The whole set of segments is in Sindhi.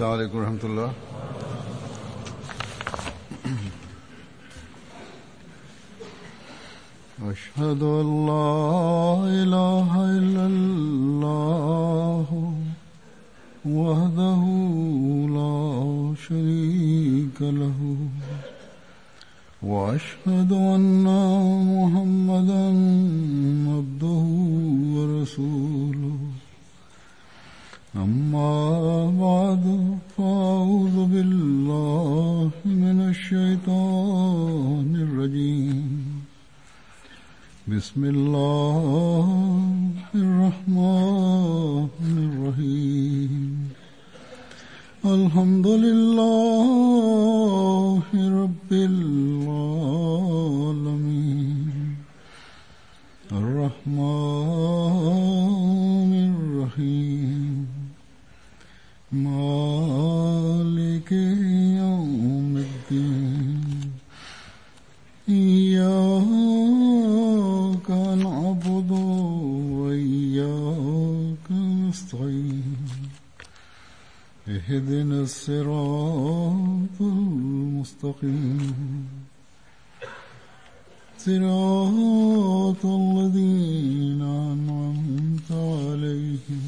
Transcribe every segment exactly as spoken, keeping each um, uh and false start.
السلام عليڪم ورحمة الله. أشهد أن لا إله إلا الله وحده لا شريك له وأشهد أن محمدا عبده ورسوله. أما بعد فأعوذ بالله من الشيطان الرجيم. بسم الله الرحمن الرحيم. الحمد لله رب العالمين الرحمن الرحيم مالك يوم الدين. إياك نعبد وإياك نستعين. اهدنا الصراط المستقيم صراط الذين أنعمت عليهم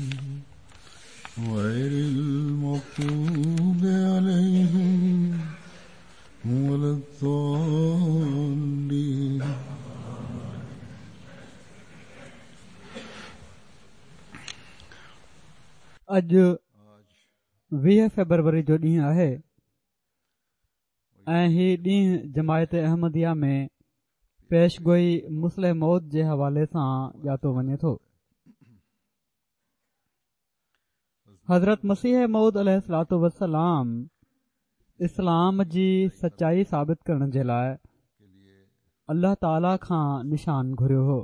غير المغضوب عليهم ولا الضالين. اڄ ويهه فيبروري جو ڏينهن آهي ۽ هي ڏينهن جماعت احمديه ۾ پيشگوئي مصلح موعود جي حوالي سان ڄاتو وڃي ٿو. حضرت مسيح موعود عليه الصلوة والسلام اسلام جي سچائي ثابت ڪرڻ جي لاءِ الله تعاليٰ کان نشان گهريو هو،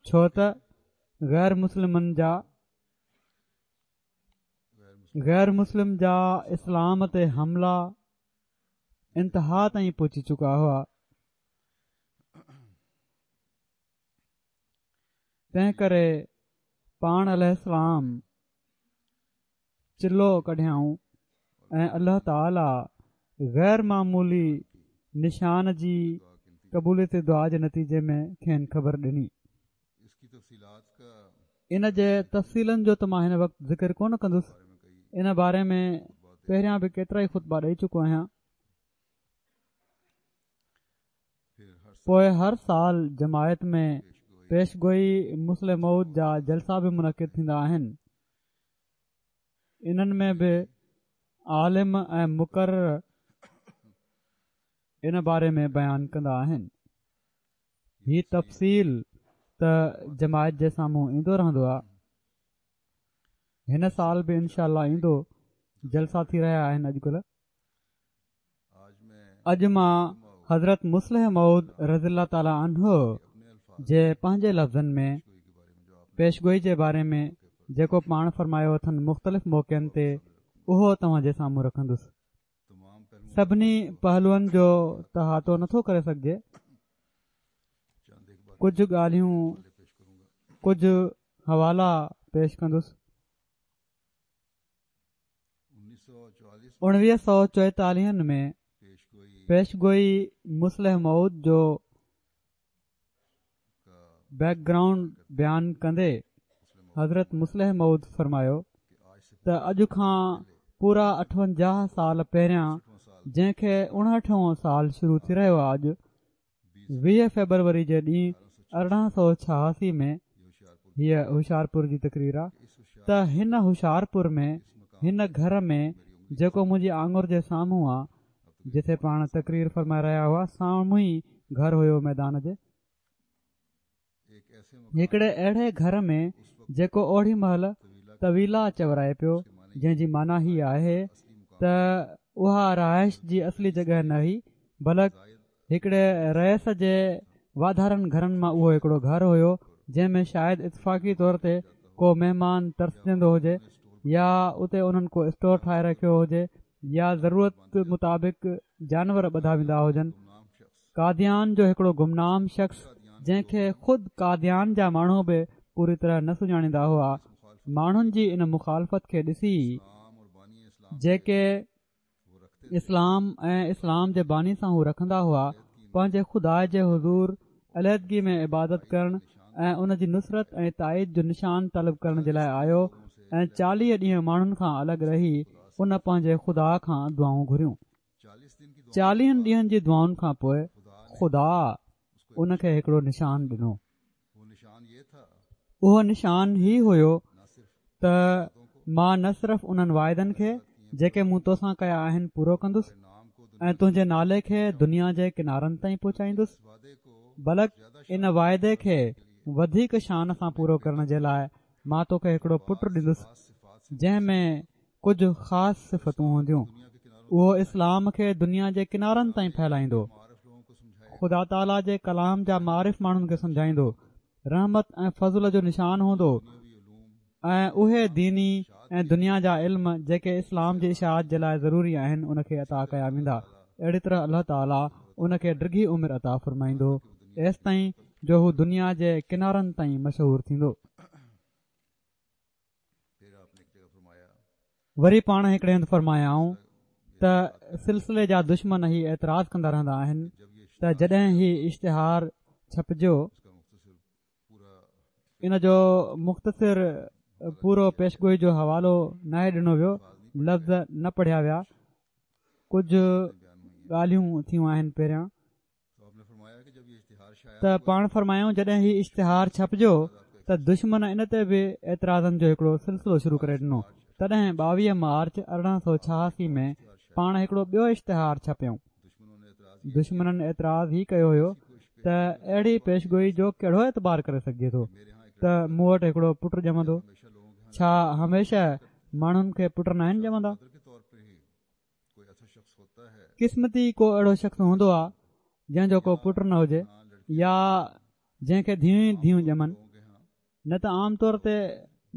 ڇو ته غير مسلمن جا غير مسلم جا اسلام تي حملا انتها تائين پهچي چڪا هئا. تنهن ڪري پاڻ عليه السلام چلو ڪڍيائون ۽ الله تعاليٰ غير معمولي نشان جي قبوليت دعا جي نتيجي ۾ کين خبر ڏني. ان جي تفصيلن جو ته مان هن وقت ذڪر ڪونه ڪندس، ان باري ۾ پهريان به ڪيترا ئي خطبا ڏئي چڪو آهيان. پوءِ هر سال جماعت ۾ پيشگوئي مصلح موعود جا جلسا به منعقد ٿيندا آهن. انهن ۾ به عالم ۽ مقرر ان باري ۾ بيان ڪندا آهن. هي تفصيل ته جماعت جي سامهون ايندو رهندو آهي. هن سال به انشاء الله ايندو. جلسا ٿي رهيا آهن اڄڪلهه. اڄ مان حضرت مصلح موعود رضي الله تعاليٰ عنه جي پنهنجي لفظن ۾ پيشگوئي جي باري ۾ جيڪو پاڻ فرمايو اٿن مختلف موقعن تي، اهو توهان جي سامهون رکندس. سڀني پهلوئن جو احاطو نٿو ڪري سگهجي، ڪجهه ڳالهيون ڪجهه حوالا پيش ڪندس. اڻويهه سؤ چوئيتاليهن ۾ پيشگوئي مصلح موعود جو بيڪ گرائونڊ بيان ڪندي حضرت مصلح موعود فرمايو ته اڄ کان پورا اٺونجاهه سال پهريان، جنهن کي اڻهٺون سال شروع ٿي رهيو آهي، اڄ ويهه فيبروري جي ڏينهن ارڙهن سؤ ڇهاسي ۾ هيءَ هوشيارپور جي تقرير آهي ته هن هوشيارپور ۾ هن گهر ۾ جيڪو منهنجي آڱر جي سامهون آهي، جتي پاڻ تقرير فرمائي رهيا هئا، سامهون ئي گهر هيو ميدان جي، هڪڙي اهڙي گهر ۾ جيڪو اوڙي مهل طويلا چورائي پيو، جنهن جي معنيٰ هي آهي ته اها رهائش جي اصلي جڳهه نه هئي، بلڪ هڪڙي رئيس جي واڌارن گهرن مان اهو هڪڙو گهر هيو، جنهن ۾ شايد اتفاقي طور تي ڪو مهمان ترسجندو هجي يا اتي انهن ڪو اسٽور ٺاهي رکيو هجي يا ضرورت مطابق جانور ٻڌا ويندا هجن. قاديان جو هڪڙو گمنام شخص، جنهن کي خود قاديان جا ماڻهو به پوري طرح نه سڃاڻيندا هئا، ماڻهن جي ان مخالفت کي ڏسي جيڪي اسلام ۽ اسلام جي باني سان هو رکندا هئا، پنهنجي خدا جي حضور علحدگي ۾ عبادت ڪرڻ ۽ ان جي نصرت ۽ تائيد جو نشان طلب ڪرڻ جي لاء آيو ۽ چاليهه ڏينهن ماڻهن کان الڳ رهي ان پنهنجي خدا کان دعائون گهريون. چاليهن ڏينهن جي دعائن کان پوء خدا ان کي هڪڙو نشان ڏنو. اهو نشان هي هيو ته مان نه صرف انهن واعدن کي جيڪي مون توسان ڪيا آهن پورو ڪندس ۽ تنهنجي نالي کي دنيا جي ڪنارن تائين پهچائيندس، بلڪ ان واعدي کي وڌيڪ شان سان پورو ڪرڻ جي لاء مان توکي هڪڙو پٽ ڏيندس جنهن ۾ ڪجهه خاص صفتون هونديون. اهو اسلام کي دنيا جي ڪنارن تائين ڦهلائيندو، خدا تعاليٰ جي ڪلام جا معارف ماڻهن کي سمجهائيندو، رحمت ۽ فضل جو نشان هوندو ۽ اهي ديني ۽ دنيا جا علم جيڪي اسلام جي اشاعت جي لاء ضروري آهن ان کي عطا ڪيا ويندا. اهڙي طرح الله تعاليٰ ان کي ڊگهي عمر عطا فرمائيندو ايستائين جو هو دنيا جي ڪنارن تائين مشهور ٿيندو. وري پاڻ هڪڙي هنڌ فرمايائون ته سلسلي جا دشمن هي اعتراض ڪندا رهندا آهن ته جڏهن هي اشتهار ڇپجيو ان جو مختصر پورو پيشگوئي جو حوالو ناهي ڏنو ويو، لفظ نه پڙهيا ويا، ڪجهه ڳالهيون ٿيون آهن پهريان ته پاڻ فرمايائون جڏهن هي اشتهار ڇپجيو ته دشمن ان تي به اعتراضن جو هڪڙو سلسلو شروع ڪري ڏنو تڏهن ٻاويهه مارچ ارڙهن سو ڇهاسي ۾ پاڻ هڪڙو ٻيو اشتهار ڇپيائون. دشمنن اعتراض هي ڪيو هيو ته اهڙي پيشگوئي جو ڪهڙو اعتبار ڪري سگهجي ٿو ته مون وٽ هڪڙو پٽ ڄمندو، ڇا هميشه ماڻهن کي پٽ ناهن ڄمندا؟ قسمتي ڪو اهڙو شخص هوندو آهي جنهن جو ڪو پٽ نه هجي يا جنهن کي ڌيئون ئي ڌيئون ڄمن. نه ته عام طور تي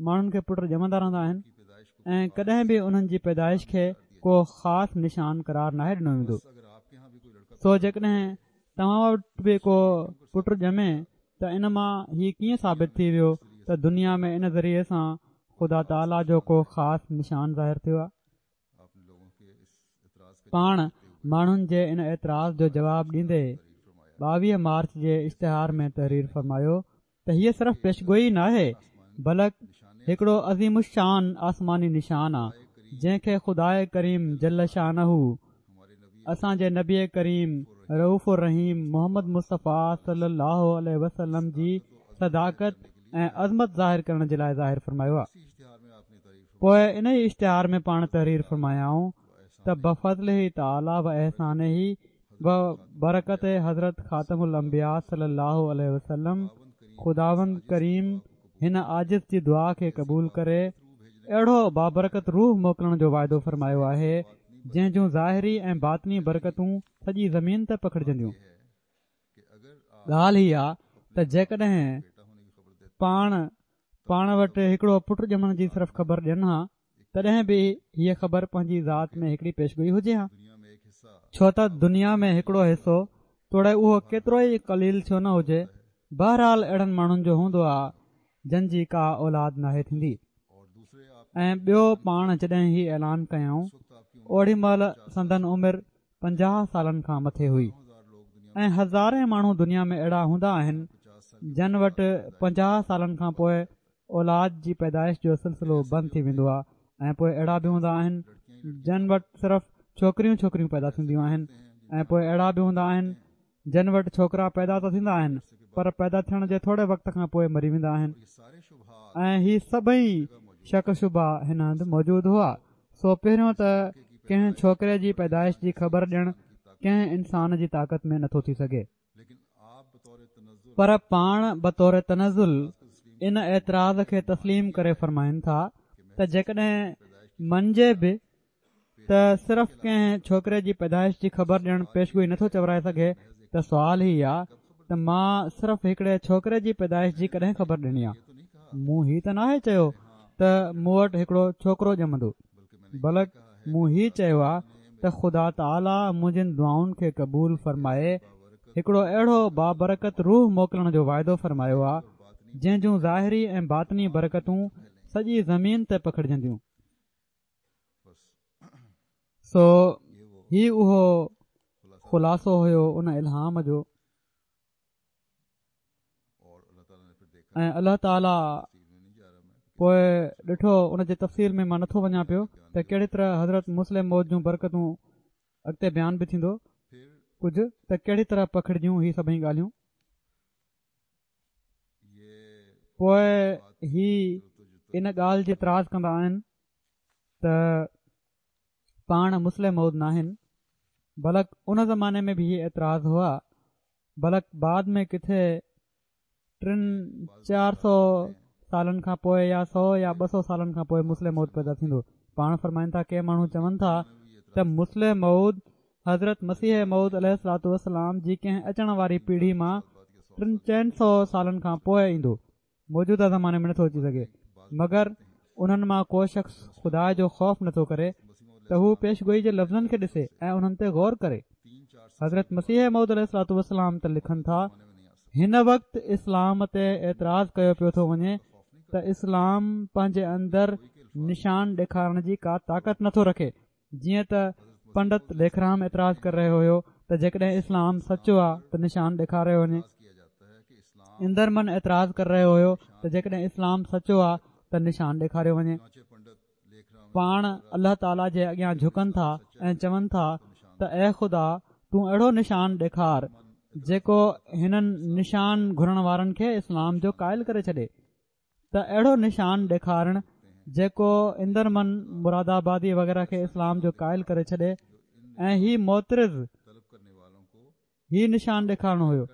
ماڻهن کي پٽ ڄمندا رهندا آهن ۽ ڪڏهن به انهن جي پيدائش کي ڪو خاص نشان قرار ناهي ڏنو ويندو. سو جيڪڏهن توهان وٽ به ڪو پٽ ڄمي ته ان مان هي ڪيئن ثابت ٿي ويو ته دنيا ۾ ان ذريعي سان خدا تعاليٰ جو ڪو خاص نشان ظاهر ٿيو آهي؟ پاڻ ماڻهن جي ان اعتراض جو جواب ڏيندي ٻاويهه مارچ جي اشتهار ۾ تحرير فرمايو ته هيء صرف پيشگوئي ناهي بلڪ هڪڙو عظيم الشان آسماني نشان آ جنهن کي خداء ڪريم جل شانه اسان جي نبي ڪريم رئوف الرحيم محمد مصطفيٰ صلي الله عليه وسلم جي صداقت ۽ عظمت ظاهر ڪرڻ جي لاء ظاهر فرمايو آ. پوء انهي اشتهار ۾ پاڻ تحرير فرمايائون ته بفضله تعاليٰ و احسانه و برڪت حضرت خاتم الانبياء صلي الله عليه وسلم خداوند ڪريم هن عاجز جي دعا کي قبول ڪري اهڙو بابرڪت روح موڪلڻ جو وعدو فرمايو آهي جنهن جون ظاهري ۽ باطني برڪتون سڄي زمين تي پکڙجنديون. ڳالهه هي آ ته جيڪڏهن پاڻ پاڻ وٽ هڪڙو پٽ ڄمڻ جي صرف خبر ڏين ها تڏهن به هيء خبر پنهنجي ذات ۾ هڪڙي پيشگوئي هجي ها. ڇو ته دنيا ۾ هڪڙو حصو توڙي اهو ڪيترو ئي قليل ڇو نه هجي بهرحال اهڙن ماڻهن جو هوندو آ جن جي ڪا اولاد ناهي ٿيندي. ۽ ٻيو پاڻ جڏهن هي اعلان ڪيائون اوڏي مهل سندن عمر پنجاهه سالن کان مٿي هئي ۽ هزارين ماڻهو دنيا ۾ اهڙا هوندا آهن جن وٽ پنجاهه سالن کان پوء اولاد جي پيدائش جو سلسلو بند ٿي ويندو آهي ۽ پوء اهڙا به هوندا آهن جن وٽ صرف ڇوڪريون ڇوڪريون پيدا ٿينديون آهن ۽ پوء اهڙا به هوندا آهن جن وٽ ڇوڪرا پيدا ته ٿيندا آهن پر پيدا ٿيڻ جي ٿوري وقت کان پوء مري ويندا آهن ۽ هي سڀئي شڪ شبها هن هنڌ موجود هئا سو پهريون ته ڪنهن ڇوڪري جي پيدائش جي خبر ڏيڻ ڪنهن انسان جي طاقت ۾ نٿو ٿي سگهي پر پاڻ بطور تنزل ان اعتراض کي تسليم ڪري فرمائن ٿا ته جيڪڏهن مڃجي به ته صرف ڪنهن ڇوڪري جي پيدائش جي خبر ڏيڻ پيشگوئي نٿو چورائي سگهي ته سوال هي آ ته مان صرف هڪڙي ڇوڪري جي پيدائش جي ڪڏهن خبر ڏني آ؟ مون هي ته ناهي چيو ته مون وٽ هڪڙو ڇوڪرو ڄمندو بلڪ مون هي چيو آ ته خدا تعاليٰ منهنجين دعائن کي قبول فرمائي هڪڙو اهڙو بابرڪت روح موڪلڻ جو وعدو فرمايو آ جنهن جون ظاهري ۽ باطني برڪتون سڄي زمين تي پکڙجنديون. سو هي اهو خلاصو هيو ان الهام جو. ۽ الله تعاليٰ پوءِ ڏٺو، ان جي تفصيل ۾ مان نٿو وڃان پيو ته ڪهڙي طرح حضرت مصلح موعود جون برڪتون اڳتي بيان به ٿيندو ڪجهه ته ڪهڙي طرح پکڙجيون هي سڀئي ڳالهيون. پوءِ هي ان ڳالهه جي اعتراض ڪندا آهن ته پاڻ مصلح موعود ناهن، بلڪ ان زماني ۾ به هي اعتراض هئا، بلڪ بعد ۾ ڪٿي ٽن چار سؤ سالن کان پوءِ يا سؤ يا ٻه سؤ سالن کان پوءِ مصلح موعود پيدا ٿيندو. پاڻ فرمائن ٿا ڪي ماڻهو چون ٿا ته مصلح موعود حضرت مسيح موعود عليه الصلوة والسلام جي ڪنهن اچڻ واري پيڙهي مان ٽن چئن سؤ سالن کان پوءِ ايندو، موجوده زماني ۾ نٿو اچي سگهي. مگر انهن مان ڪو شخص خدا جو خوف نٿو ڪري ته هو پيشگوئي جي لفظن کي ڏسي ۽ انهن تي غور ڪري. حضرت مسيح موعود عليه الصلوة والسلام ته لکن ٿا هن وقت اسلام تي اعتراض ڪيو پيو ٿو وڃي ته اسلام پنهنجي اندر نشان ڏيکارڻ جي ڪا طاقت نٿو رکي. جيئن ته پنڊت ليکرام اعتراض ڪري رهيو هيو ته جيڪڏهن اسلام سچو آهي ته نشان ڏيکاريو وڃي. اندرمن اعتراض ڪري رهيو هيو ته جيڪڏهن اسلام سچو آهي ته نشان ڏيکاريو وڃي. پاڻ الله تعاليٰ جي اڳيان جهڪن ٿا ۽ چون ٿا ته اي خدا تون اهڙو نشان ڏيکار جيڪو هنن نشان گهرڻ وارن کي اسلام جو قائل ڪري ڇڏي. ته اهڙو نشان ڏيکارڻ جيڪو اندرمن مرادآبادي وغيره کي اسلام جو قائل ڪري ڇڏي. ۽ هي معترض هي نشان ڏيکارڻو هيو.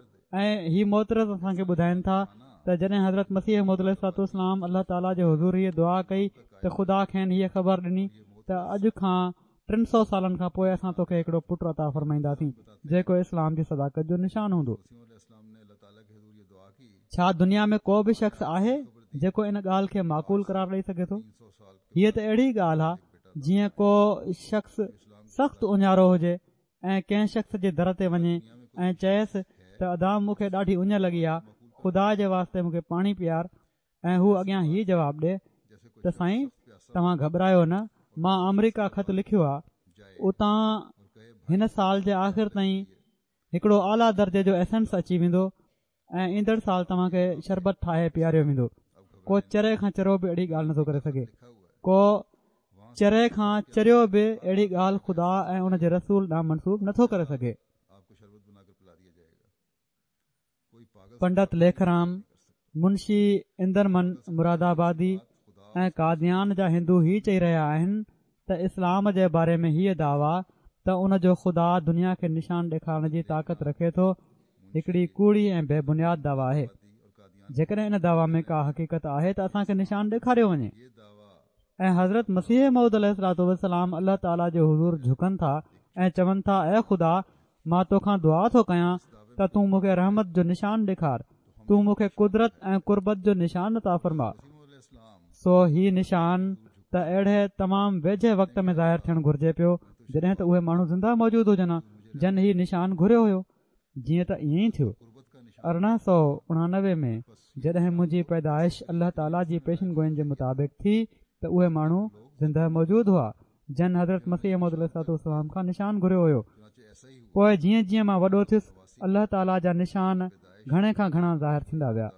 ۽ هي معترض اسان کي ٻڌائين ٿا ته جڏهن حضرت مسيح موعود عليه الصلوة والسلام الله تعاليٰ جي حضور هيءَ دعا ڪئي ته خدا کين هيءَ خبر ڏني ته اڄ کان ٽن سؤ سالن کان پوءِ اسان توکي هڪڙو پٽ عطا فرمائينداسين جيڪو اسلام جي صداقت جو نشان هوندو. ڇا دنيا ۾ ڪو به شخص آهي جيڪو ان ڳالهه کي معقول قرار ڏئي سگهي ٿو؟ هيءَ ته اهڙي ڳالهه آهي جيئن ڪو شخص سخت اڃارو هجي ۽ ڪنهن شخص جي در تي وڃي ۽ چئيس ته ادا مون کي ڏاڍي اڃ لڳي آهي، خدا جي واسطي مون کي پاڻي پيار، ۽ هو اڳيان هيءَ جواب ڏئي ته سائين توهان گهٻرايو نه، مان آمريڪا خط لکيو آهي، اتان هن سال جي آخر تائين هڪڙو اعليٰ درجي جو ايسنس اچي ويندو ۽ ايندڙ سال توهان کي شربت ٺاهي پياريو ويندو. ڪو چري کان چريو به اهڙي ڳالهه نٿو ڪري سگهي. ڪو چري کان چريو به اهڙي ڳالهه خدا ۽ ان جي رسول ڏانهن منسوب نٿو ڪري سگهي. پنڊت ليکرام، منشي اندرمن مرادآبادي ۽ قاديان جا هندو هي چئي رهيا آهن ته اسلام جي باري ۾ هيءَ دعويٰ ته ان جو خدا دنيا کي نشان ڏيکارڻ جي طاقت رکي ٿو هڪڙي ڪوڙي ۽ بي بنياد دعويٰ آهي. جيڪڏهن ان دعويٰ ۾ ڪا حقيقت آهي ته اسان کي نشان ڏيکاريو وڃي. ۽ حضرت مسيح موعود عليه الصلوة والسلام الله تعاليٰ جي حضور جهڪن ٿا ۽ چون ٿا اي خدا مان توکان دعا ٿو ڪيان ته تون مون کي رحمت جو نشان ڏيکار، تون مون کي قدرت ۽ قربت جو نشان عطا فرما. سو هي نشان ته اهڙي تمام ويجهي وقت ۾ ظاهر ٿيڻ گهرجي پيو جڏهن ته اهي ماڻهو زنده موجود هجن جن هي نشان گهريو هيو. جيئن ته ائين ئي ٿيو. ارڙهن سؤ اڻانوي ۾ جڏهن منهنجي پيدائش الله تعاليٰ جي پيشن گوئين جي مطابق ٿي ته اهي ماڻهو زنده موجود هئا جن حضرت مسيح موعود عليه الصلوة والسلام کان نشان گهريو هيو. پوءِ جيئن جيئن مان وڏو ٿيس الله تعاليٰ جا نشان گهڻي کان گهڻا ظاهر ٿيندا ويا.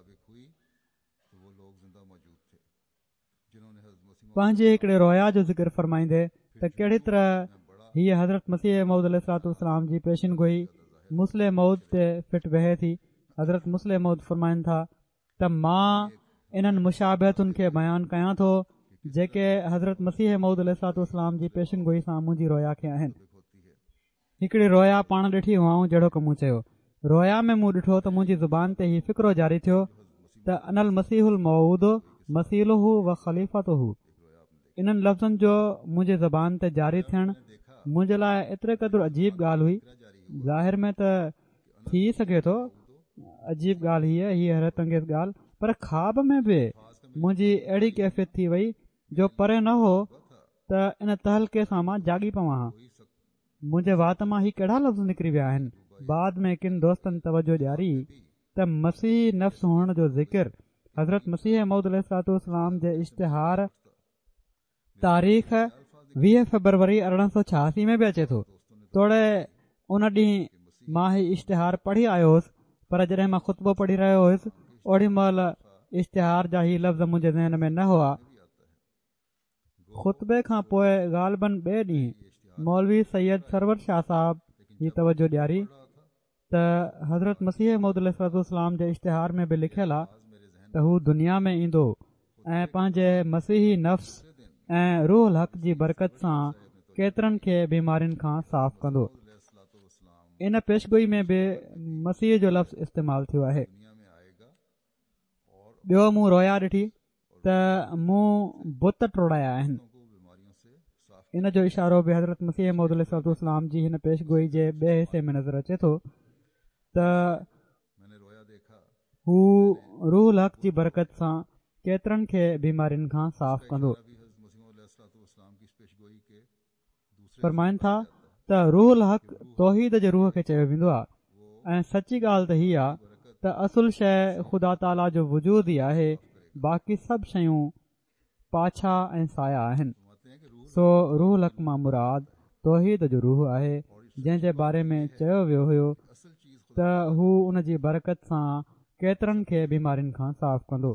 پنهنجي هڪڙي رويا جو ذڪر فرمائيندي ته ڪهڙي طرح هيءَ حضرت مسيح موعود عليه الصلوة والسلام جي پيشن گوئي مصلح موعود تي فٽ ويهي ٿي. حضرت مصلح موعود فرمائن ٿا ته مان انهن مشابهتن کي بيان ڪيان ٿو جيڪي حضرت مسيح موعود عليه الصلوة والسلام جي پيشن گوئي سان منهنجي رويا کي آهن. هڪڙي رويا پاڻ ڏٺي هئائون جهڙوڪ مون چيو. رويا ۾ مون ڏٺو ته منهنجي زبان تي هي فقرو جاري ٿيو ته انا المسيح الموعود مثيله و خليفته. انهن لفظن جو منهنجي زبان تي جاري ٿيڻ منهنجي لاءِ ايتري قدر عجيب ڳالهه هئي. ظاهر ۾ ته ٿي سگهي ٿو عجيب ڳالهه هيءَ هيءَ حيرت انگيز ڳالهه، پر خواب ۾ به منهنجي اهڙي ڪيفيت ٿي وئي جو پري نه هو ته ان تهلڪي سان مان جاڳي پوان ها. منهنجي وات مان هي ڪهڙا لفظ نڪري ويا آهن. بعد ۾ ڪن دوستن توجهه ڏياري ته مسيح نفس هئڻ جو ذڪر حضرت مسيح موعود عليه الصلوة والسلام جي اشتهار، تاريخ ويهه فيبروري ارڙهن سؤ ڇهاسي ۾ به اچي ٿو. توڙي ان ڏينهن مان هي اشتهار پڙهي آيو هوس، پر جڏهن مان خطبو پڙهي رهيو هيس اوڏي مهل اشتهار جا هي لفظ منهنجي ذهن ۾ نه هئا. خطبي کان پوء غالباً ٻئي ڏينهن مولوي سيد سرور شاهه صاحب هي توجه ڏياري ته حضرت مسيح موعود عليه الصلوة والسلام جي اشتهار ۾ به لکيل آ ته هو دنيا ۾ ايندو ۽ پنهنجي مسيحي نفس ۽ روح الحق جي برڪت سان ڪيترن کي بيمارين کان صاف ڪندو. ان پيشگوئي ۾ به مسيح جو لفظ استعمال ٿيو آهي. ٻيو مون رويا ڏٺي ته مون بت ٽوڙايا آهن. ان جو اشارو به حضرت مسيح موعود عليه الصلوة والسلام جي هن پيشگوئي جي ٻئي حصي ۾ نظر اچي ٿو ته هو روح الحق جي برڪت سان ڪيترن کي بيمارين کان صاف ڪندو. فرمائن ٿا ته روح الحق توحيد جي روح کي چيو ويندو آهي ۽ سچي ڳالهه ته هي آهي ته اصل شيء خدا تعاليٰ جو وجود ئي آهي، باقي سڀ شيون پاڇا ۽ سايا آهن. سو روح الحق مان مراد توحيد جو روح آهي، جنهن جي باري ۾ چيو ويو هيو ته هو ان جي برڪت سان ڪيترن کي بيمارين کان صاف ڪندو.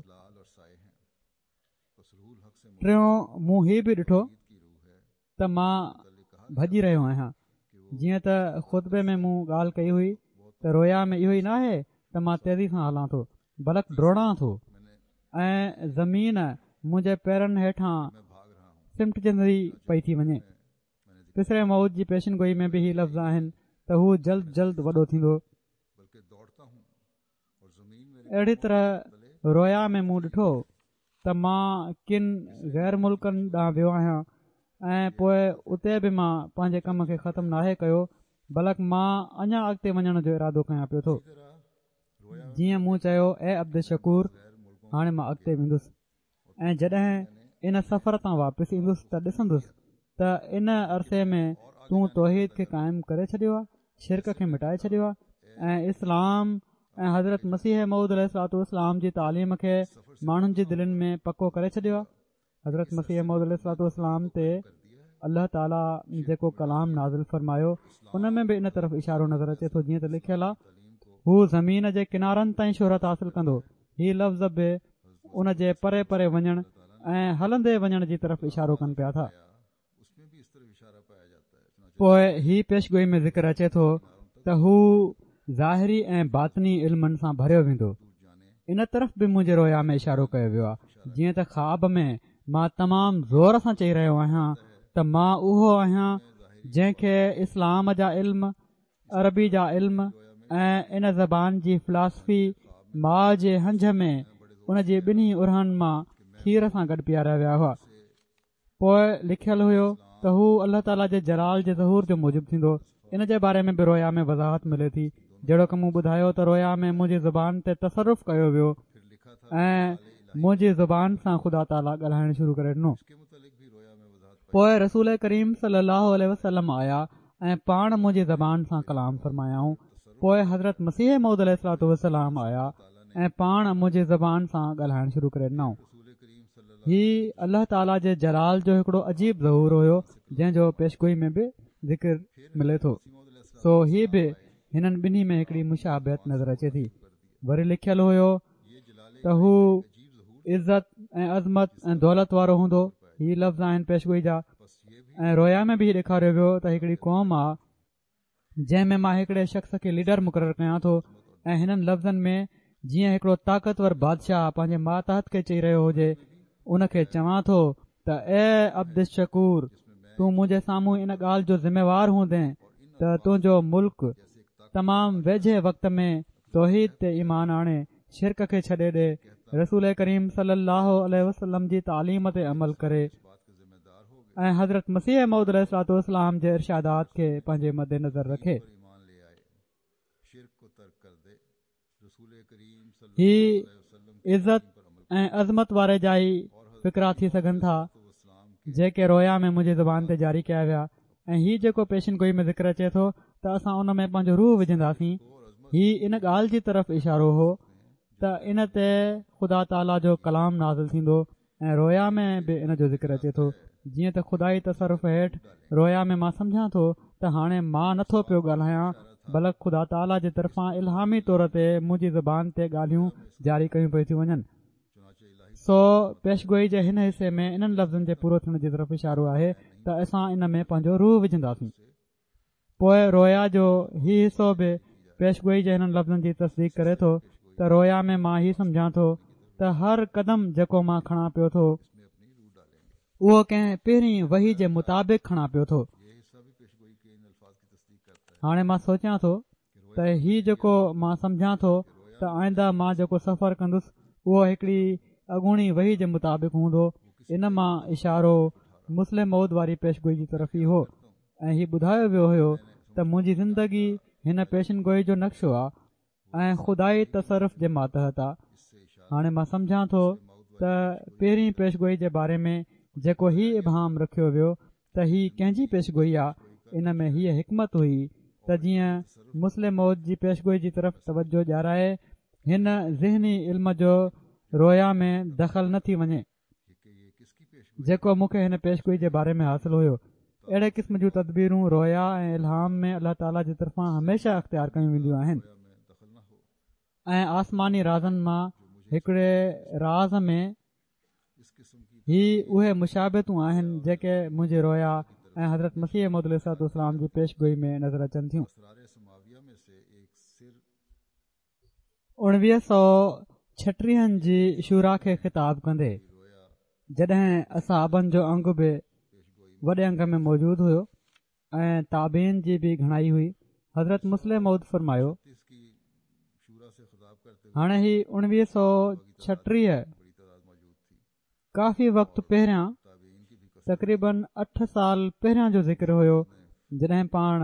ٽيون مون هي به ڏٺو ته مان ڀڄي رهيو آهيان. جيئن ته خطبي ۾ مون ڳالهه ڪئي هئي ته رويا ۾ اهو ئي ناهي ته مان تيزي سان هلان ٿو، بلڪ ڊوڙان ٿو ۽ زمين منهنجي پيرن هيٺان سمٽجندي پئي ٿي وڃي. پسر موعود جي پيشن گوئي ۾ به هي لفظ آهن ته هو جلد جلد وڏو ٿيندو. اهڙي طرح رويا ۾ مون ڏٺو ته مان ڪن غير ملڪن ڏانهن ويو آهيان ۽ پوء اتي به مان پنهنجي ڪم کي ختم ناهي ڪيو، بلڪ مان اڃا اڳتي وڃڻ جو ارادو ڪيان پيو ٿو. جيئن مون چيو، اي عبدالشڪور، هاڻي مان اڳتي ويندس ۽ جڏهن ان سفر تان واپس ايندس ته ڏسندس ته ان عرصي ۾ تون توحيد کي قائم ڪري ڇڏيو آهي، شرڪ کي مٽائي ڇڏيو آهي ۽ اسلام ۽ حضرت مسيح موعود عليه الصلوة والسلام جي تعليم کي ماڻهن جي دلين ۾ پڪو ڪري ڇڏيو آهي. حضرت مسيح موعود عليه الصلوة والسلام تي الله تعاليٰ جيڪو ڪلام نازل فرمايو ان ۾ به ان طرف اشارو نظر اچي ٿو، جيئن ته لکيل آهي، هو زمين جي ڪنارن تائين شهرت حاصل ڪندو. هي لفظ به ان جي پري پري وڃڻ ۽ هلندي وڃڻ جي طرف اشارو ڪن پيا ٿا. پوء هي پيشگوئي ۾ ذڪر اچي ٿو ته هو ظاهري ۽ باطني علمن سان ڀريو ويندو. ان طرف به منهنجي رويا ۾ اشارو ڪيو ويو آهي، جيئن ته خواب ۾ مان تمام زور سان چئي رهيو آهيان ته مان اهو آهيان جنهن کي اسلام جا علم، عربي جا علم ۽ ان زبان جي فلاسفي ماء جي هنج ۾ ان جي ٻنهي ارهن مان کير سان گڏ پياريا ويا هئا. پوء لکيل هيو ته هو الله تعاليٰ جي جلال جي ظهور جو موجب ٿيندو. ان جي باري ۾ به رويا ۾ وضاحت ملي ٿي. جهڙوڪ مون ٻڌايو ته رويا ۾ منهنجي زبان تي تصرف ڪيو ويو ۽ منهنجي زبان سان خدا تعاليٰ ڳالهائڻ شروع ڪري ڏنو. پوء رسول ڪريم صلي الله عليه وسلم آيا ۽ پاڻ منهنجي زبان سان ڪلام فرمايائون. پوء حضرت مسيح موعود عليه الصلوة والسلام آيا ۽ پاڻ منهنجي زبان سان ڳالهائڻ شروع ڪري ڏنائون. هي الله تعاليٰ جي جلال جو هڪڙو عجيب ظهور هيو، جنهن جو پيشگوئي ۾ به ذڪر ملي ٿو. سو هي به هنن ٻنهي ۾ هڪڙي مشابهت نظر اچي ٿي. وري لکيل هيو ته هو عزت ۽ عظمت ۽ دولت وارو هوندو. هي لفظ آهن پيشگوئي جا. ۽ رويا ۾ به هي ڏيکاريو ويو ته هڪڙي قوم آ جنهن ۾ مان هڪڙي شخص کي ليڊر مقرر ڪيان ٿو ۽ هنن لفظن ۾ جيئن هڪڙو طاقتور بادشاهه پنهنجي ماتحت کي چئي رهيو هجي، ان کي چوان ٿو ته اي عبدالشڪور، تون منهنجي سامهون ان ڳالهه جو ذميوار هوندين ته تنهنجو ملڪ تمام ويجهي وقت ۾ توحيد تي ايمان آڻي شرڪ کي ڇڏي ڏي، رسول ڪريم صلي الله عليه وسلم جي تعليم تي عمل ڪري ۽ حضرت مسيح موعود عليه الصلوة والسلام جي ارشادات کي پنهنجي مد نظر رکي. هي عزت ۽ عظمت واري جا ئي فقرا ٿي سگهن ٿا، جيڪي رويا ۾ منهنجي زبان تي جاري ڪيا ويا ۽ هي جيڪو پيشن گوئي ۾ ذڪر اچي ٿو ته اسان ان ۾ پنهنجو روح وجهنداسين، هي ان ڳالهه جي طرف اشارو هو ته ان تي خدا تعاليٰ جو ڪلام نازل ٿيندو ۽ رويا ۾ به ان جو ذڪر اچي ٿو، جيئن ته خدائي تصرف هيٺ رويا ۾ مان سمجهان ٿو ته هاڻي مان نٿو پيو ڳالهايان بلڪ خدا تعاليٰ جي طرفان الهامي طور تي منهنجي زبان تي ڳالهيون جاري ڪيون پئي ٿيون وڃن. سو پيشگوئي جي هن حصي ۾ انهن لفظن جي پورو ٿيڻ جي طرف اشارو آهي ته اسان ان ۾ پنهنجو روح وجهنداسين. پوءِ رويا جو هي حصو به پيشگوئي جي هنن لفظن جي تصديق ڪري ٿو ته رويا ۾ مان هي سمجهان ٿو ته هر قدم جيڪو مان کڻان پيو ٿو اهو ڪنهن پهرين وحي جي مطابق کڻان پيو ٿو. هاڻي مان سوچيان ٿو ته هي جيڪو مان سمجهان ٿو ته آئنده مان جيڪو سفر ڪندس اهو هڪڙي اڳوڻي وحي جي مطابق هوندو. ان مان اشارو مصلح موعود واري پيشگوئي جي طرف ئي هو ۽ هي ٻڌايو ويو هيو ته منهنجي زندگي هن پيشن گوئي جو نقشو آهي ۽ خدائي تصرف جي ماتحت آهي. هاڻي مان سمجهان ٿو ته پهرين پيشگوئي جي باري ۾ جيڪو هي ابهام رکيو ويو ته هي ڪنهن جي پيشگوئي آهي، ان ۾ هيءَ حڪمت هئي ته جيئن مصلح موعود جي پيشگوئي جي طرف توجه ڏيارائي هن ذهني علم جو رويا ۾ دخل نه ٿي وڃي جيڪو مون کي هن پيشگوئي جي باري ۾ حاصل هيو. اهڙي قسم جون تدبيرون رويا ۽ الهام ۾ الله تعاليٰ جي طرفان هميشه اختيار ڪيون وينديون آهن ۽ آسماني رازن مان هڪڙي راز ۾ هي اهي مشابهتون آهن جيڪي منهنجي رويا ۽ حضرت مسيح موعود عليه الصلوة والسلام جي پيشگوئي ۾ نظر اچن ٿيون. اڻويهه سؤ ڇٽيهن جي شورا کي خطاب ڪندي جڏهن اصحابن جو انگ به وڏي انگ ۾ موجود هيو ۽ تابعين جي به گهڻائي هئي، حضرت مصلح موعود فرمايو، هاڻي هي اڻويهه سؤ ڇٽيهه ڪافي وقت پهريان تقريبن اٺ سال پهريان جو ذڪر هيو جڏهن پاڻ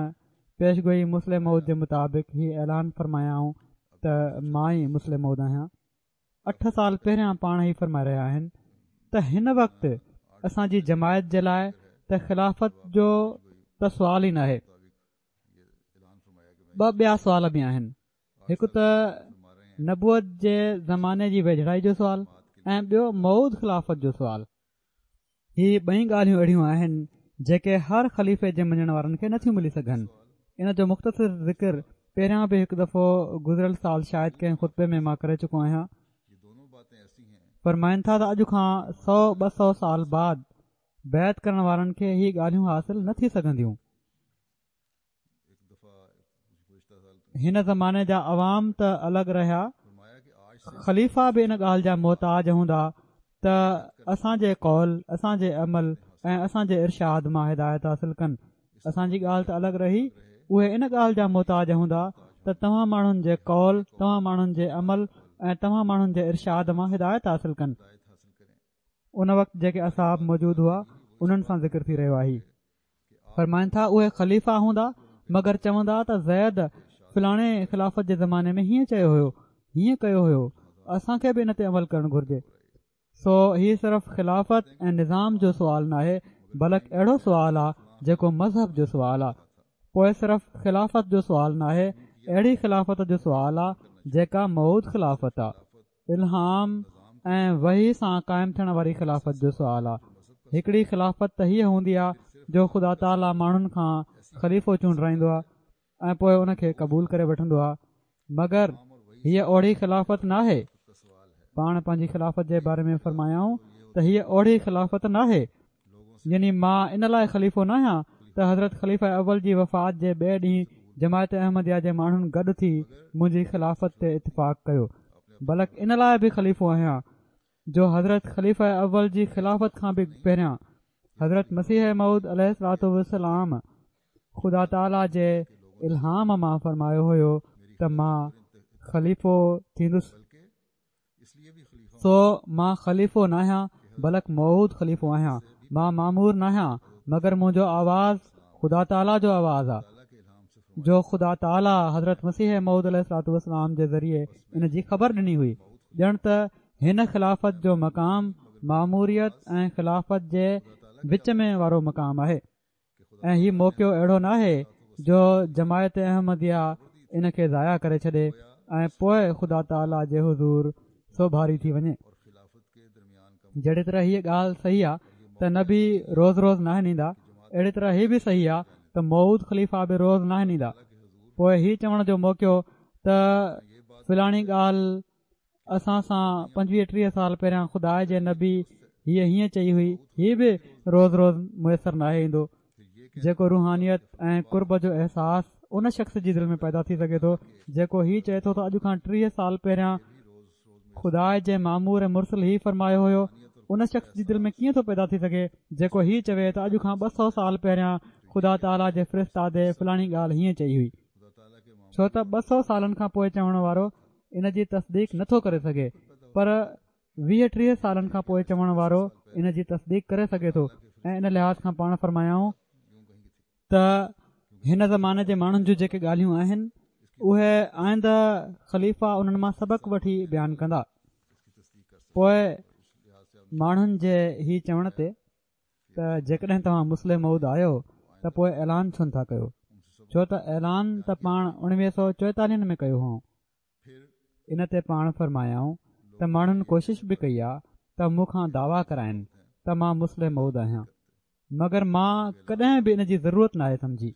پيشگوئي مصلح موعود جي مطابق هي اعلان فرمايائون ته مان ئي مصلح موعود آهيان. اٺ سال پهريان پاڻ هي فرمائي رهيا آهن ته هن وقت اسان جي جماعت جي لاءِ ته خلافت جو ته سوال ئي ناهي. ٻه ٻيا سوال به آهن، هڪ ته نبوت جي زماني جي ويجهڙائي جو سوال ۽ ٻيو موعود خلافت جو سوال. هي ٻئي ڳالهيون اهڙيون آهن جيڪي هر خليفي جي مڃڻ وارن کي نٿيون ملي سگهن. ان جو مختصر ذڪر پهريان به هڪ دفعو گذريل سال شايد ڪنهن خطبي ۾ مان ڪري چڪو آهيان. فرمائن ٿا ته اڄ کان سؤ ٻه سؤ سال بعد بيعت ڪرڻ وارن کي هي ڳالهيون حاصل نه ٿي سگهنديون. هن زماني جا عوام ته الڳ رهيا، خليفا به ان ڳالهه جا محتاج هوندا ته اسان جي قول، اسان جي عمل ۽ اسان جي ارشاد مان هدايت حاصل ڪن. اسان جي ڳالهه ته الڳ رهي، اهي ان ڳالهه جا محتاج هوندا ته توهان ماڻهن جي قول، توهان ماڻهن جي عمل ۽ توهان ماڻهن جي ارشاد مان هدايت حاصل ڪن. ان وقت جيڪي اصحاب موجود هئا انهن سان ذڪر ٿي رهيو آهي. فرمائن ٿا اهي خليفا هوندا مگر چوندا ته زيد فلاڻي خلافت جي زماني ۾ هيئن چيو هيو، هيئن ڪيو هيو، اسان کي به ان تي عمل ڪرڻ گهرجي. سو هي صرف خلافت ۽ نظام جو سوال ناهي بلڪ اهڙو سوال آهي جيڪو مذهب جو سوال آهي. پوءِ صرف خلافت جو سوال ناهي، اهڙي خلافت جو سوال آهي جيڪا موعود خلافت آهي، الهام ۽ وحي سان قائم ٿيڻ واري خلافت جو سوال آهي. هڪڙي خلافت ته هيءَ هوندي آهي جو خدا تعاليٰ ماڻهن کان خليفو چونڊرائيندو آهي ۽ پوءِ ان کي قبول ڪري وٺندو آهي، مگر هيءَ اوڙي خلافت ناهي. پاڻ پنهنجي خلافت جي باري ۾ فرمايائون ته هيءَ اوڙي خلافت ناهي، يعني مان ان لاءِ خليفو ناهيان ته حضرت خليفه اول جي وفات جي ٻئي ڏينهن جماعت احمديه جي ماڻهن گڏ ٿي منهنجي خلافت تي اتفاق ڪيو، بلڪ ان لاءِ به خليفو آهيان جو حضرت خليفه اول جي خلافت کان به پهريان حضرت مسيح موعود عليه الصلوة والسلام خدا تعاليٰ جي الهام مان فرمايو هيو ته مان خليفو ٿيندس. سو مان خليفو ناهيان بلڪ موعود خليفو آهيان. مان مامور ناهيان مگر منهنجو آواز خدا تعاليٰ جو آواز آهي جو خدا تعاليٰ حضرت مسيح موعود عليه الصلوة والسلام جي ذريعي ان جي خبر ڏني هئي. ڄڻ ته هن خلافت جو مقام ماموريت ۽ خلافت جي وچ ۾ وارو مقام آهي ۽ هي موقعو اهڙو ناهي جو جماعت احمديه ان کي ضايع ڪري ڇڏي ۽ پوءِ خدا تعاليٰ جي حضور سوڀاري ٿي وڃي. جهڙي طرح هيءَ ڳالهه صحيح آهي ته نبي روز روز ناهن ايندا، اهڙي طرح هي به صحيح آهي ته موعود خليفا به روز ناهن ايندا. پوءِ هي چوڻ جو موقعو ته فلاڻي ڳالهه اسان سان پنجويهه ٽيهه سال پهريان خدا جي نبي هيءَ هيئن چئي هئي، هي به روز روز ميسر ناهي ايندو. جيڪو روحانيت ۽ قرب جو احساس ان شخص جي دل ۾ پيدا ٿي سگهي ٿو جيڪو هي چئي ٿو ته اڄ کان ٽيهه سال پهريان خدا جي مامور مرسل هي فرمايو هيو، ان شخص جي دل ۾ ڪيئن ٿو پيدا ٿي سگهي جيڪو هي چوي ته اڄ کان ٻه سؤ سال پهريان خدا تعاليٰ جي فرستادي فلاڻي ڳالهه هيئن چئي هئي. ڇو ته ٻه سؤ سالن کان پوءِ چوڻ وارو ان جي تصديق نٿو ڪري سگهي، پر ويهه ٽيهه سالن کان پوءِ چوڻ وارو ان جي تصديق ڪري سگهي ٿو. ۽ ان لحاظ کان پاڻ فرمايائون ته هن زماني جي ماڻهن جون جيڪي ڳالهيون آهن اهي آئنده خليفا انهن مان سبق وٺي بيان ڪندا. پوءِ ماڻهن جي هي چوڻ تي ته جيڪڏهن توهان مصلح موعود آهيو ته پوءِ اعلان ڇو نٿا ڪيو؟ ڇو ته اعلان ته پاڻ اڻويهه سؤ چوئيتاليهن ۾ ڪيو هئائون. ان تي پاڻ فرمايائون ته ماڻهن ڪوشش به ڪئي آهي ته مون کان دعويٰ ڪرائين ته مان مصلح موعود آهيان، مگر مان ڪڏهن به ان جي ضرورت ناهي سمجهي.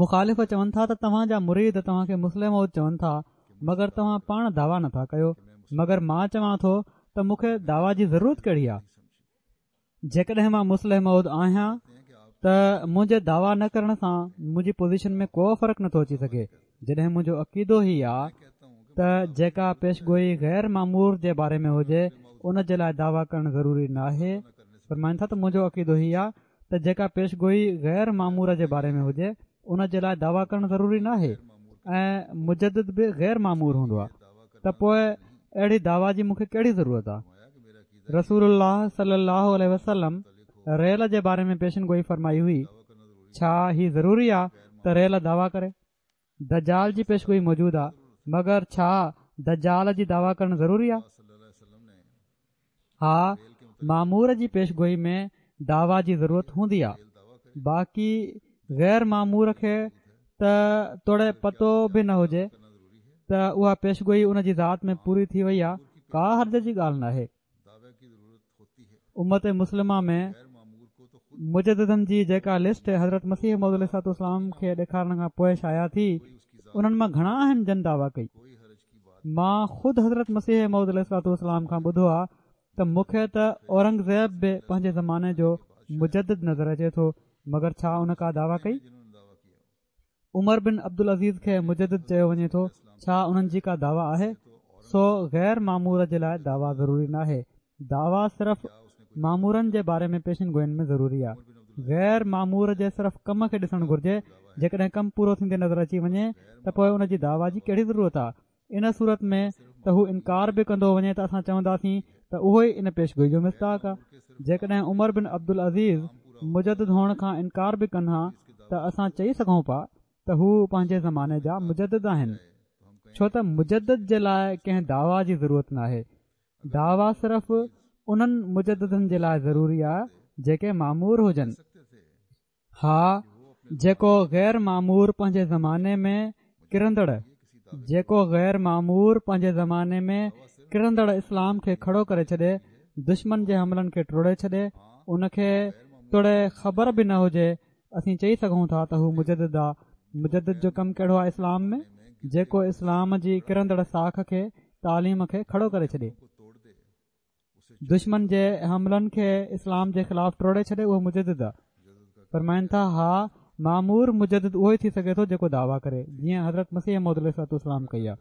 مخالف چون ٿا ته توهان جا مريد توهان کي مصلح موعود چون ٿا، مگر توهان پاڻ دعويٰ نٿا ڪيو. مگر مان چوان ٿو ته مون کي دعويٰ جي ضرورت ڪهڙي آهي؟ جيڪڏهن مان مصلح موعود آهيان ته منهنجي دعويٰ نه ڪرڻ سان منهنجي پوزيشن ۾ ڪو فرق نٿو اچي سگهي. جڏهن منهنجو عقيدو هي آهي ته جيڪا پيشگوئي غير مامور جي باري ۾ هجي ان جي لاءِ دعويٰ ڪرڻ ضروري ناهي. فرمائن ٿا ته منهنجو عقيدو هي آهي ته جيڪا پيشگوئي غير مامور جي باري ۾ هجي ان جي لاءِ دعويٰ ڪرڻ ضروري ناهي، ۽ مجدد به غير مامور هوندو آهي، ته پوءِ اهڙي دعويٰ جي مون کي ڪهڙي ضرورت آهي؟ رسول الله صلي الله عليه وسلم ريل جي باري ۾ پيشن گوئي فرمائي هئي، ڇا هي ضروري آهي ته ريل دعويٰ ڪري؟ دجال جي پيشگوئي موجود آهي، مگر ڇا دجال جي دعويٰ ڪرڻ ضروري آهي؟ ها، مامور جي پيشگوئي ۾ دعويٰ جي ضرورت هوندي آهي، باقي غير مامور کي ته توڙي پتو به نه هجي ته اها پيشگوئي ان جي ذات ۾ پوري ٿي وئي آهي، ڪا حرج جي ڳالهه ناهي. امت مسلمه ۾ مجددن جي جيڪا لسٽ حضرت مسيح موعود عليه الصلوة والسلام کي ڏيکارڻ کان پوءِ شايع ٿي، انهن مان گهڻا آهن جن دعويٰ ڪئي. مان خود حضرت مسيح موعود عليه الصلوة والسلام کان ٻڌو آهي ته مون کي ته اورنگزيب به پنهنجي زماني جو مجدد نظر اچي ٿو، مگر ڇا ان ڪا دعويٰ ڪئي؟ عمر بن عبدالعزيز کي مجدد چيو وڃي ٿو، ڇا انهن جي ڪا دعويٰ آهي؟ سو غير مامور جي لاءِ دعويٰ ضروري ناهي. دعويٰ صرف مامورن جي باري ۾ پيشن گوئين ۾ ضروري آهي. غير مامور جي صرف ڪم کي ڏسڻ گهرجي. جيڪڏهن ڪم پورو ٿيندي نظر اچي وڃي ته پوءِ ان جي دعويٰ جي ڪهڙي ضرورت آهي؟ ان صورت ۾ ته هو انڪار به ڪندو وڃي ته اسان چونداسين ته اهو ئي ان پيشگوئي جو مصداق آهي. جيڪڏهن عمر بن عبدالعزيز مجدد هئڻ کان انڪار به ڪن ها ته اسان چئي سگهون پيا ته هو پنهنجي زماني جا مجدد آهن، ڇو ته مجدد جي لاءِ ڪنهن دعويٰ جي ضرورت ناهي. دعويٰ صرف انهن مجددن جي لاءِ ضروري آهي جيڪي مامور هجن. ها، جيڪو غير مامور پنهنجي زماني ۾ ڪرندڙ جيڪو غير مامور پنهنجي زماني ۾ ڪرندڙ اسلام کي کڙو ڪري ڇڏي، دشمن جي حملن کي ٽوڙي ڇڏي، ان کي توڙي خبر به نه هجي، اسين چئي سگهون ٿا ته هو مجدد آهي. مجدد جو ڪم ڪهڙو آهي اسلام ۾؟ جيڪو اسلام جي ڪرندڙ ساک کي، تعليم کي کڙو ڪري ڇڏي، دشمن جي حملن کي اسلام جي خلاف ٽوڙي ڇڏي، اهو مجدد آهي. فرمائن ٿا ها، مامور مجدد اهو ئي ٿي سگهي ٿو جيڪو دعويٰ ڪري، جيئن حضرت مسيح موعود عليه الصلوة والسلام ڪئي آهي.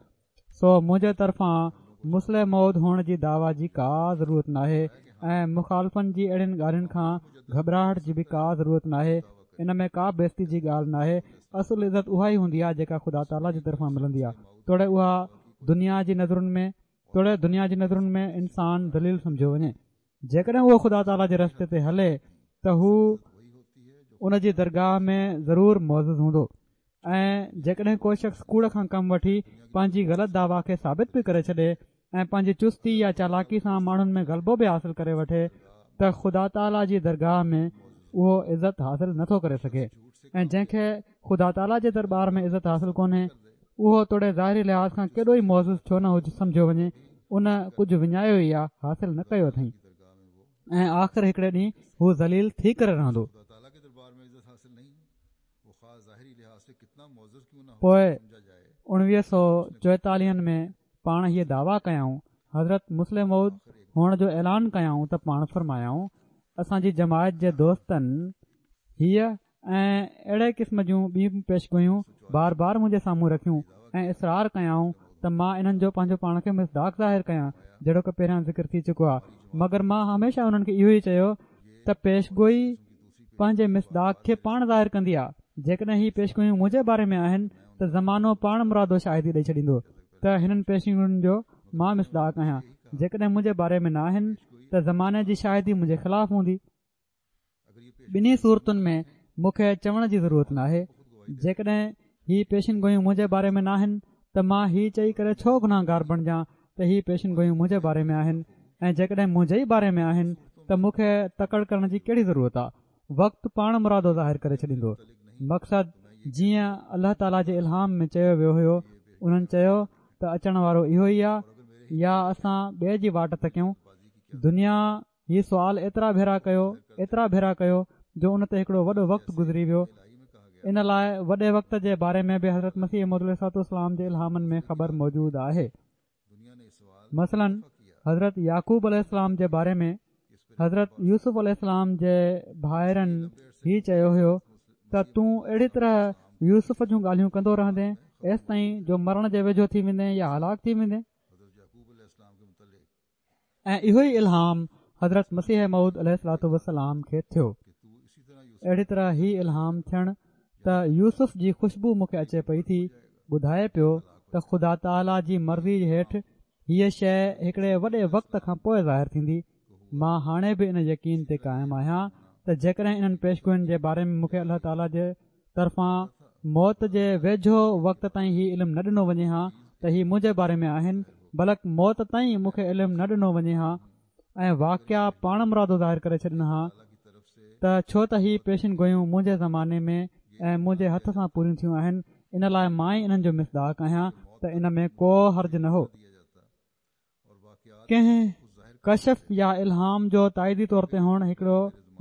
سو منهنجي طرفان مصلح موعود هئڻ جي دعويٰ جي ڪا ضرورت ناهي ۽ مخالفن جي اهڙين ڳالهين کان گهٻراهٽ جي به ڪا ضرورت ناهي. ان ۾ ڪا بيستي جي ڳالهه ناهي. اصل عزت اها ئي هوندي آهي جيڪا خدا تعاليٰ جي طرفان ملندي آهي، توڙي اها دنيا جي نظرن ۾ توڙي دنيا جي نظرن ۾ انسان ذليل سمجهيو وڃي. جيڪڏهن اهو خدا تعاليٰ جي رستي تي هلي ته هو ان جي درگاهه ۾ ضرور معزز هوندو. ۽ جيڪڏهن ڪو شخص ڪوڙ کان ڪم وٺي پنهنجي غلط دعويٰ کي ثابت به ڪري ڇڏي ۽ پنهنجي چستي يا چالاڪي سان ماڻهن ۾ غلبو به حاصل ڪري وٺي ته خدا تعاليٰ جي درگاهه ۾ اهو عزت حاصل نٿو ڪري سگهي. ۽ جنهن کي خدا تعاليٰ جي درٻار ۾ عزت حاصل ڪونهي اهو توڙي ظاهري لحاظ کان ڪيڏو ئي معزز ڇو نه هجي سمجهيو وڃي، ان ڪجهه وڃايو ئي آهي، حاصل نه ڪيو اٿئين. ۽ آخر هڪڙي ڏينهن هو ذليل ٿي ڪري رهندو. پوءِ اڻويهه سؤ چوئيتاليهن ۾ پاڻ هيءَ دعويٰ ڪيائون، حضرت مصلح موعود هئڻ جو اعلان ڪيائون ته پاڻ فرمايائون، اسان جي جماعت جي دوستن هيءَ ۽ اهڙي قسم جون ٻيون پيشگويون بار بار منهنجي سامهون رکيون ۽ اصرار ڪيائون ته مان انهن جو پنهنجو پاڻ کي مصداق ظاهر ڪيان، جهڙوڪ پهريان ذڪر ٿي چڪو آهي. مگر مان هميشه انهن کي اهو ئي چيو ته پيشگوئي پنهنجي مصداق کي پاڻ ظاهر ڪندي آهي. جيڪڏهن هي پيشگويون منهنجي باري ۾ آهن ته زمانو پاڻ مرادو شاهدي ڏئي ڇڏيندو ته هنن پيشگوين جو مان مصداق آهيان. جيڪڏهن منهنجي باري ۾ نه آهن ته زماني جي شاهدي منهنجي خلاف هوندي. ٻنهي صورتن ۾ مون کي چوڻ جي ضرورت ناهي. جيڪڏهن هي پيشن گويون منهنجي باري ۾ ناهن ته مان هي چئي ڪري ڇو گناهگار بڻجان ته هي پيشن گويون منهنجي باري ۾ آهن، ۽ جيڪڏهن منهنجي ئي باري ۾ آهن ته مون کي تڪڙ ڪرڻ جي ڪهڙي ضرورت آهي؟ وقت پاڻ مرادو ظاهر ڪري ڇڏيندو. مقصد جيئن الله تعاليٰ جي الهام ۾ چيو ويو هيو، انهن چيو ته اچڻ وارو اهو ئي آهي يا اسان ٻئي جي واٽ تڪيون. دنيا هي سوال ايترا ڀيرا ڪيو ايترا ڀيرا ڪيو جو ان تي هڪڙو وڏو وقت گذري ويو. ان لاءِ وڏي وقت جي باري ۾ به حضرت مسيح موعود عليه الصلوة والسلام جي الهامن ۾ خبر موجود آهي. مثلاً حضرت يعقوب عليه السلام جي باري ۾ حضرت يوسف عليه السلام جي ڀائرن هي چيو هيو ته تون اهڙي طرح يوسف جون ڳالهيون ڪندو رهندين ايستائين جو مرڻ جي ويجهو ٿي ويندين يا هلاڪ ٿي ويندين. ۽ اهو ئي الهام حضرت مسيح موعود عليه الصلوة والسلام کي ٿيو. اهڙي طرح هي الهام ٿيڻ ته يوسف جي خوشبو مون کي اچي پئي ٿي ٻڌائي پيو ته خدا تعاليٰ جي مرضي هيٺ هيءَ شيءِ هڪڙي وڏي وقت کان پوءِ ظاهر ٿيندي. مان هاڻي به ان يقين تي قائم آهيان ته جيڪڏهن انهن پيشگوين جي باري ۾ مون کي الله تعاليٰ جي طرفان موت جي ويجهو وقت تائين هي علم نه ڏنو وڃي ها ته هي منهنجي باري ۾ آهن، بلڪ موت تائين مون کي علم نه ڏنو وڃي ها ۽ واقعا پاڻ مرادو ظاهر ڪري ڇڏن ها ته ڇو ته هي پيشن گويون منهنجي زماني ۾ ۽ منهنجي هٿ سان پوريون ٿيون آهن، ان لاءِ مان ئي انهن جو مصداق آهيان ته ان ۾ ڪو حرج نه هو. ڪنهن ڪشف يا الهام جو تائيدي طور تي هئڻ هڪڙو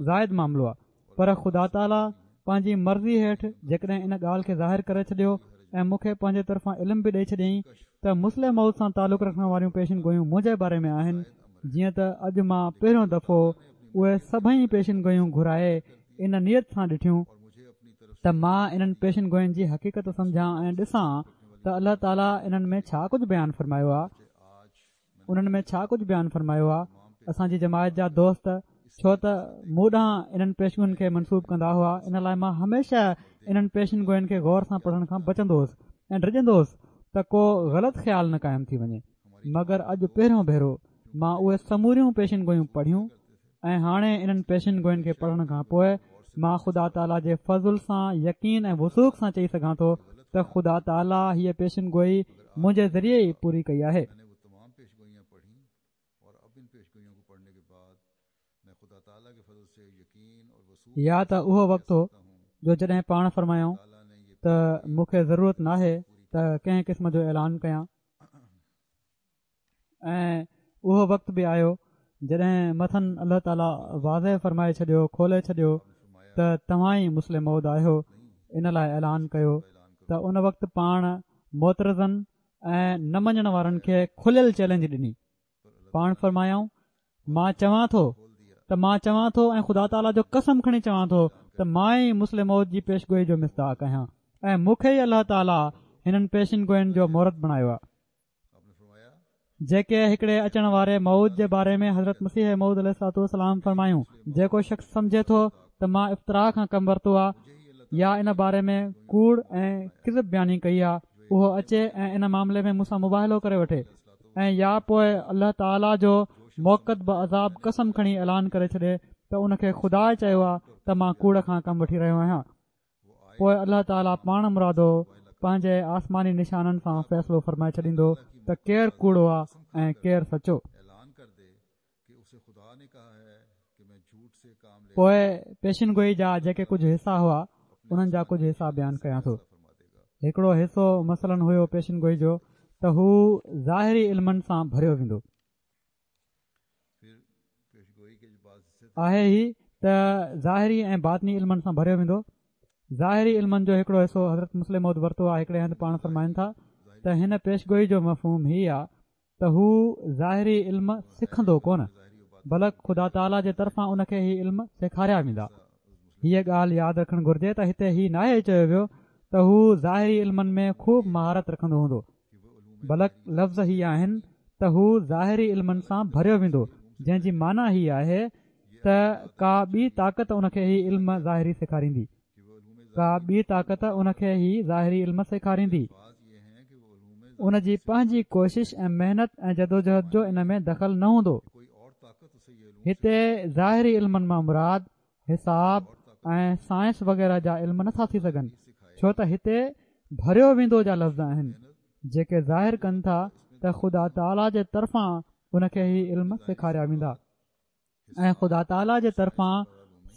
زائد معاملو آهي، پر خدا تعاليٰ پنهنجي مرضي هيٺ جيڪڏهن ان ڳالهه کي ظاهر ڪري ڇڏيو ۽ مون کي پنهنجي طرفان علم به ڏئي ڇڏيائين ته مصلح موعود سان تعلق رکڻ واريون پيشن گويون منهنجي باري ۾ آهن، جيئن ته اڄ مان پهريون دفعو اهي سڀئي پيشن گويون گهرائي ان نيت سان ڏٺيون ته مان انهن پيشن گوين جي حقيقت سمجهان ۽ ڏسان ته الله تعاليٰ انهن ۾ ڇا ڪجهه بيان فرمايو آهي انهن ۾ ڇا ڪجهه بيان فرمايو آهي. اسان جي جماعت جا دوست ڇو ته مون ڏانهن انهن پيشگوين کي منسوب ڪندا هئا، ان لاءِ مان هميشه انهن پيشن گوين کي غور سان پڙهڻ کان بچندو هوس ۽ ڊڄندو هوس ته ڪو غلط خيال نه قائم ٿي وڃي. مگر اڄ پهريون ڀيرو مان اهي سموريون پيشن گويون پڙهيون ۽ هاڻي انهن پيشن گوين کي پڙهڻ کان پوءِ مان خدا تعاليٰ جي فضل سان يقين ۽ وثوق سان چئي سگهان ٿو ته خدا تعاليٰ هيءَ پيشن گوئي منهنجي ذريعي ئي پوري ڪئي آهي. يا ته اهو وقت هو جو جڏهن پاڻ فرمايائون ته مون کي ضرورت ناهي ته ڪنهن قسم جو اعلان ڪيان، ۽ اهو وقت به آيو جڏهن مٿن الله تعاليٰ واضح فرمائي ڇڏيو، کولي ڇڏيو ته توهان ئي مصلح موعود آهيو، ان لاءِ اعلان ڪيو ته ان وقت پاڻ معترضن ۽ نه مڃڻ وارن کي کليل چئلينج ڏني. پاڻ فرمايائون، مان چوان ٿو ته مان چوان ٿو ۽ خدا تعاليٰ جو قسم کڻي چوان ٿو ته مان ئي مصلح موعود جي پيشگوئي جو مصداق آهيان ۽ مون کي ئي الله تعاليٰ هنن پيشن گوين جو مورت بڻايو آهي، جيڪي هڪڙي اچڻ واري موعود جي باري ۾ حضرت مسيح موعود عليه الصلوة والسلام فرمايون، جيڪو شخص سمجهي ٿو ته مان افتراء کان ڪم ورتو آهي يا ان باري ۾ ڪوڙ ۽ ڪذب بياني ڪئي آهي، اهو اچي ۽ ان معاملي ۾ مون سان مباهلو ڪري وٺي، ۽ يا پوءِ الله تعاليٰ جو موقت بعذاب قسم کڻي اعلان ڪري ڇڏي ته ان کي خدا چيو آهي ته مان ڪوڙ کان ڪم وٺي رهيو آهيان. پوءِ الله تعاليٰ پاڻ مرادو پنهنجي آسماني نشانن سان فيصلو فرمائي ڇڏيندو ته ڪير ڪوڙو آهي ۽ ڪير سچو. پوءِ پيشن گوئي جا جيڪي ڪجهه حصا هئا انهن جا ڪجهه حصا بيان ڪيان ٿو. هڪڙو حصو مثلاً هيو پيشن گوئي جو ته هو ظاهري علمن سان ڀريو ويندو. آهي هي ته ظاهري ۽ باطني علمن سان ڀريو ويندو. ظاهري علمن جو هڪڙو حصو حضرت مصلح موعود ورتو آهي. هڪڙي هنڌ پاڻ فرمائن ٿا ته هن پيشگوئي جو مفهوم هي آ ته هو ظاهري علم سکندو ڪونه، بلڪ خدا تعاليٰ جي طرفان ان کي هي علم سيکاريا ويندا. هيء ڳالهه ياد رکڻ گهرجي ته هتي هي ناهي چيو ويو ته هو ظاهري علمن ۾ خوب مهارت رکندو هوندو، بلڪ لفظ هي آهن ته هو ظاهري علمن سان ڀريو ويندو، جنهن جي معنيٰ هي آهي ته ڪا ٻي طاقت ان کي هي علم ظاهري سيکاريندي، ڪا ٻي طاقت ان کي هي ظاهري علم سيکاريندي. ان جي پنهنجي ڪوشش ۽ محنت ۽ جدوجهد جو ان ۾ دخل نه هوندو. هتي ظاهري علمن مان مراد حساب ۽ سائنس وغيره جا علم نٿا ٿي سگهن، ڇو ته هتي ڀريو ويندو جا لفظ آهن، جيڪي ظاهر ڪن ٿا ته خدا تعاليٰ جي طرفان ان کي هي علم سيکاريا ويندا ۽ خدا تعاليٰ جي طرفان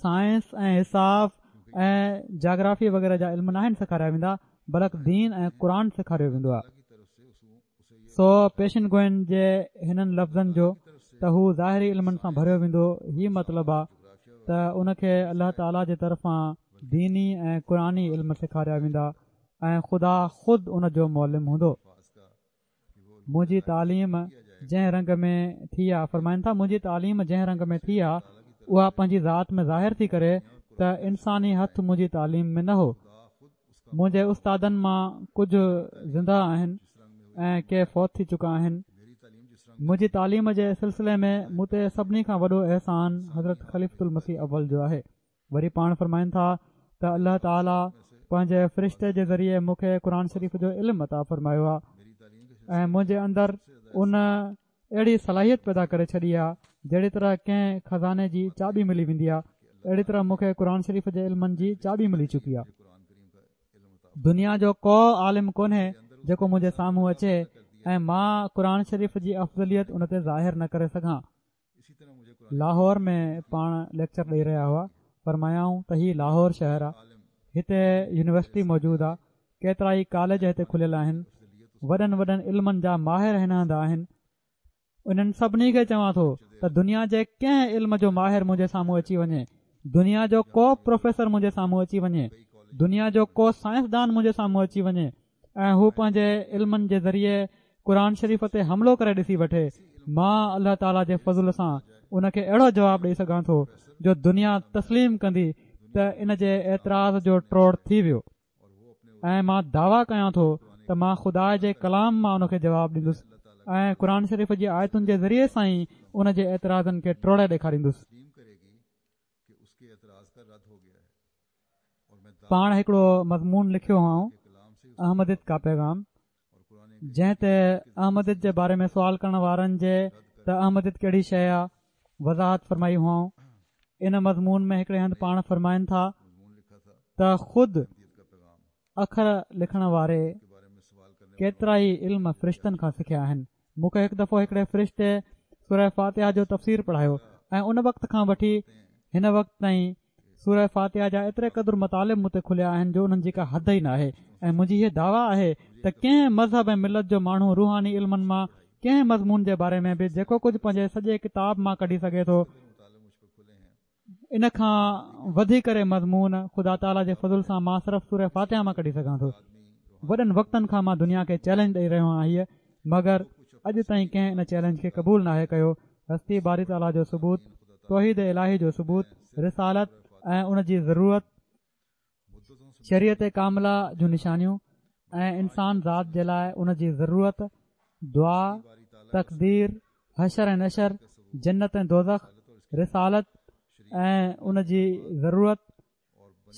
سائنس ۽ حساب ۽ جاگرافي وغيره جا علم ناهن سيکاريا ويندا، بلڪ دين ۽ قرآن سيکاريو ويندو آهي. سو پيشن گوئن جي هنن لفظن جو ته هو ظاهري علمن سان ڀريو ويندو هي مطلب آ ته ان کي الله تعاليٰ جي طرفان ديني ۽ قرآني علم سيکاريا ويندا ۽ خدا خود ان جو معلم هوندو. منهنجي تعليم جنهن رنگ ۾ ٿي آ، فرمائن ٿا منهنجي تعليم جنهن رنگ ۾ ٿي آ اها پنهنجي ذات ۾ ظاهر ٿي ڪري ته انساني هٿ منهنجي تعليم ۾ نه هو. منهنجي استادن مان ڪجهه زنده آهن ۽ ڪي فوت ٿي چڪا آهن. منهنجي تعليم جي سلسلي ۾ مون تي سڀني کان وڏو احسان حضرت خليفة المسيح اول جو آهي. وري پاڻ فرمائن ٿا ته الله تعاليٰ پنهنجي فرشتي جي ذريعي مون کي قرآن شريف جو علم عطا فرمايو آهي ۽ منهنجي اندر ان اهڙي صلاحيت پيدا ڪري ڇڏي آهي جهڙي طرح ڪنهن خزاني جي چاٻي ملي ويندي آهي، اهڙي طرح مون کي قرآن شريف جي علمن جي چاٻي ملي چڪي آهي. دنيا جو ڪو عالم ڪونهي جيڪو منهنجي سامهون اچي ۽ مان قرآن شريف جي افضليت ان تي ظاهر نه ڪري سگهان. لاهور ۾ پاڻ ليڪچر ڏئي رهيا هئا، فرمايائون ته هي لاهور شهر آ، هتي يونيورسٽي موجود آ، ڪيترائي ڪاليج هتي کليل آهن، وڏن وڏن علمن جا ماهر هن هنڌ آهن، انهن سڀني کي چوان ٿو ته دنيا جي ڪنهن علم جو ماهر منهنجي سامهون اچي وڃي، دنيا جو ڪو پروفيسر منهنجي سامهون اچي وڃي، دنيا جو ڪو سائنسدان منهنجي سامهون اچي وڃي ۽ هو پنهنجي علمن جي ذريعي قرآن شريف تي حملو ڪري ڏسي وٺي، مان الله تعاليٰ جي فضل سان ان کي اهڙو جواب ڏئي سگهان ٿو جو دنيا تسليم ڪندي ته ان جي اعتراض جو ٽوڙ ٿي ويو ۽ مان دعويٰ ڪيان ٿو ته مان خدا جي ڪلام مان ان کي جواب ڏيندس ۽ قرآن شريف جي آيتن جي ذريعي سان ئي ان جي اعتراضن کي ٽوڙي ڏيکاريندس. پاڻ هڪڙو مضمون لکيو هئائون احمديت کا پيغام جنهن تي احمديت جي باري ۾ سوال ڪرڻ وارن جي ته احمديت ڪهڙي شيء آ وضاحت فرمائي هئائون. ان مضمون ۾ هڪڙي هنڌ پاڻ فرمائن ٿا ته خود اکر لکڻ واري ڪيترائي علم فرشتن کان سکيا آهن. مون کي هڪ دفعو هڪڙي فرشتي سوره فاتحه جو تفسير پڙهايو ۽ ان وقت کان وٺي هن وقت تائين سوره فاتحه جا ايتري قدر مطالب مون تي کليا آهن جو انهن جي ڪا حد ئي ناهي ۽ منهنجي هيء دعويٰ آهي ته ڪنهن مذهب ۽ ملت جو ماڻهو روحاني علمن مان ڪنهن مضمون جي باري ۾ به جيڪو ڪجهه پنهنجي سڄي ڪتاب مان ڪڍي سگهي ٿو ان کان وڌي ڪري مضمون خدا تعاليٰ جي فضل سان مان صرف سوره فاتحه مان ڪڍي سگهان ٿو. وڏن وقتن کان مان دنيا کي چئلينج ڏئي رهيو آهيان هيء مگر اڄ تائين ڪنهن ان چئلينج کي قبول ناهي ڪيو. هستي باري تعاليٰ جو ثبوت، توحيد الاهي جو ثبوت، رسالت ۽ ان جي ضرورت، شريعت ڪامله جون نشانيون ۽ انسان ذات جي لاء ان جي ضرورت، دعا، تقدير، حشر ۽ نشر، جنت ۽ دوزخ، رسالت ۽ ان جي ضرورت،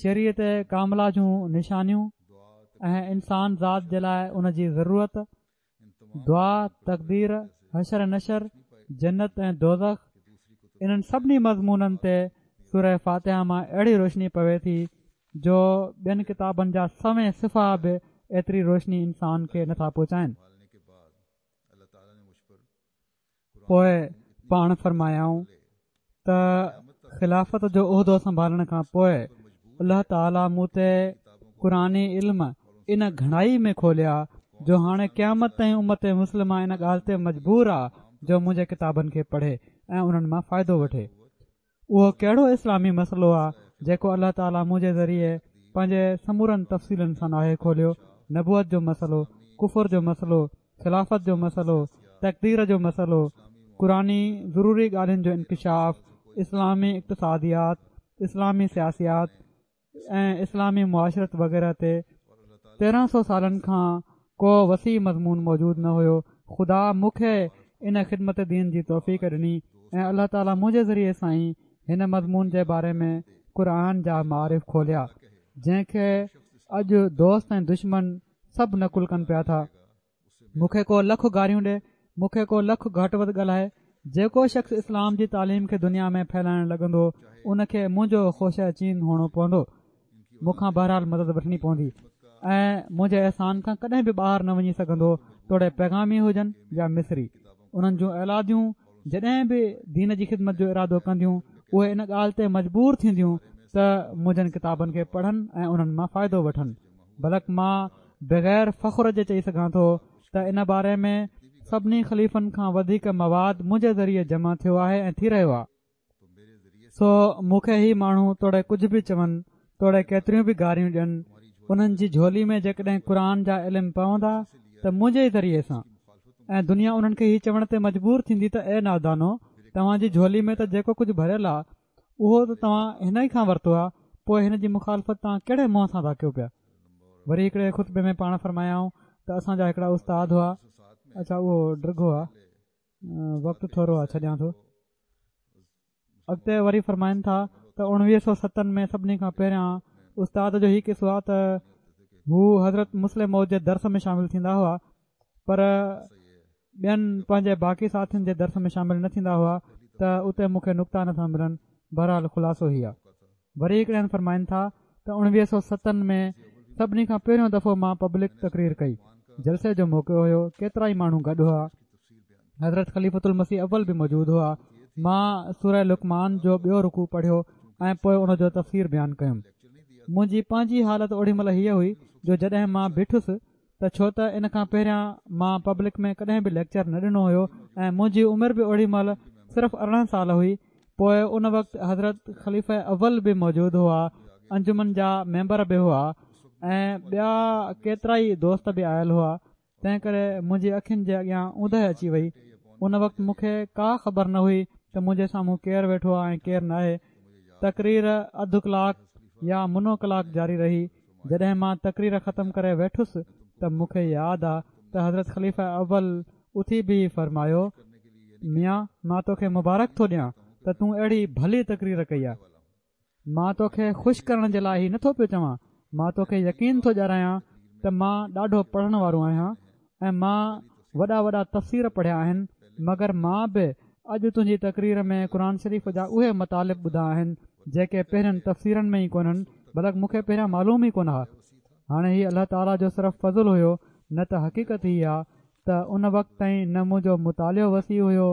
شريعت ڪامله جون نشانيون ۽ انسان ذات جي لاء ان جي ضرورت، دعا، تقدير، حشر ۽ نشر، جنت ۽ دوزخ، انهن سڀني مضمونن تي سوره فاتحه مان اهڙي روشني پوي ٿي جو ٻين ڪتابن جا سوين صفحا به ايتري روشني انسان کي نٿا پهچائن. پوء پاڻ فرمايائون ته خلافت جو عهدو سنڀالڻ کان پوء الله تعاليٰ مون تي قرآني علم ان گهڻائي ۾ کوليا جو هاڻي قيامت تائين امت مسلمه ان ڳالهه تي مجبور آ جو منهنجي ڪتابن کي پڙهي ۽ انهن مان فائدو وٺي. اهو ڪهڙو اسلامي مسئلو آهي جيڪو الله تعاليٰ منهنجي ذريعي پنهنجي سمورن تفصيلن سان ناهي کوليو؟ نبوت جو مسئلو، ڪفر جو مسئلو، خلافت جو مسئلو، تقدير جو مسئلو، قرآني ضروري ڳالهين جو انڪشاف، اسلامي اقتصاديات، اسلامي سياسيات ۽ اسلامي معاشرت وغيره تي تيرهن سو سالن کان ڪو وسيع مضمون موجود نه هيو. خدا مون کي ان خدمت دين جي توفيق ڏني ۽ الله تعاليٰ منهنجي ذريعي سان ئي هن مضمون جي باري ۾ قرآن جا معارف کوليا، جنهن کي اڄ دوست ۽ دشمن سڀ نقل ڪن پيا ٿا. مون کي ڪو لک گاريون ڏي، مون کي ڪو لک گهٽ وڌ ڳالهائي، جيڪو شخص اسلام جي تعليم کي دنيا ۾ ڦهلائڻ لڳندو ان کي منهنجو خوشه چين هئڻو پوندو، مون کان بهرحال مدد وٺڻي پوندي ۽ منهنجي احسان کان ڪڏهن به ٻاهر نه وڃي سگهندو، توڙي پيغامي هجن يا مصري. انهن جون اولاديون جڏهن به دين جي خدمت جو ارادو ڪنديون اهي ان ڳالهه تي مجبور ٿينديون ته منهنجن ڪتابن کي پڙهن ۽ انهن مان فائدو وٺن. بلڪ مان بغير فخر جي چئي سگهان ٿو ته ان باري ۾ سڀني خليفن کان وڌيڪ مواد منهنجي ذريعي جمع ٿيو آهي ۽ ٿي رهيو آهي. سو مون کي هي ماڻهو توڙي ڪجهه به چون، توڙي ڪيتريون به گاريون ڏين، انهن جي جهولي ۾ جيڪڏهن قرآن جا علم پوندا ته منهنجي ئي ذريعي سان، ۽ دنيا انهن کي هي چوڻ تي مجبور ٿيندي ته اي نادانو، توهان جي جهولي ۾ ته جيڪو ڪجهه ڀريل آهي اهو ته توهان هن ئي کان ورتو آهي، پوء هن جي مخالفت توهان ڪهڙي منهن سان ٿا ڪيو پيا؟ وري هڪڙي خطبي ۾ پاڻ فرمايائون ته اسان جا هڪڙا استاد هئا. اڇا اهو ڊگهو آهي، وقت ٿورو آهي، ڇڏيان ٿو. اڳتي وري فرمائن ٿا ته اڻويهه سؤ ستن ۾ سڀني کان پهريان استاد جو هي قصو آهي ته هو حضرت مصلح موعود جي درس ۾ شامل ٿيندا هئا، پر ٻين پنهنجي باقي ساٿين جي درس ۾ شامل نه ٿيندا هئا ته اتي مون کي نقطا نٿا ملن. بهرحال خلاصو هي آهي. وري هڪڙي هنڌ فرمائن ٿا ته اڻويهه سؤ ستن ۾ سڀني کان پهريون دفعو مان پبلڪ تقرير ڪئي. جلسي جو موقعو هيو، ڪيترا ئي ماڻهو گڏ هئا، حضرت خليفة المسيح اول به موجود هئا. مان سوره لقمان جو ٻيو رڪوع پڙهيو ۽ پوء ان جو تفسير بيان ڪيم. منهنجي پنهنجي حالت اوڏي مهل هيء هئي جو جڏهن مان بيٺس ته ڇو ته ان کان پهريان مان پبلڪ ۾ ڪڏهن به ليڪچر نه ڏنو هيو ۽ منهنجي عمر به اوڏي مهل صرف ارڙهن سال هئي. پوء ان وقت حضرت خليفه اول به موجود هئا، انجمن جا ميمبر به هئا ۽ ٻيا ڪيترائي دوست به آيل هئا، تنهن ڪري منهنجي اکين جي اڳيان اوندهه اچي وئي. ان وقت مون کي ڪا خبر نه هئي ته منهنجي سامهون ڪير ويٺو آهي ۽ ڪير ناهي. تقرير اڌ ڪلاڪ يا منو ڪلاڪ جاري رهي. جڏهن مان تقرير ختم ڪري ويٺس ته مون کي ياد آ ته حضرت خليفه اول اٿي بيهي فرمايو، ميان مان توکي مبارڪ ٿو ڏيان ته تون اهڙي ڀلي تقرير ڪئي آ. مان توکي خوش ڪرڻ جي لاء هي نٿو پيو چوان، مان توکي يقين ٿو ڏياريان ته مان ڏاڍو پڙهڻ وارو آهيان ۽ مان وڏا وڏا تفسير پڙهيا آهن، مگر مان به اڄ تنهنجي تقرير ۾ قرآن شريف جا اهي مطالب ٻڌا آهن جيڪي پهرين تفسيرن ۾ ئي ڪونهن، بلڪ مون کي پهريان معلوم ئي ڪونه ها. هاڻي هي الله تعاليٰ جو صرف فضل هيو، نه ته حقيقت هي آ ته ان وقت تائين نه منهنجو مطالعو وسيع هيو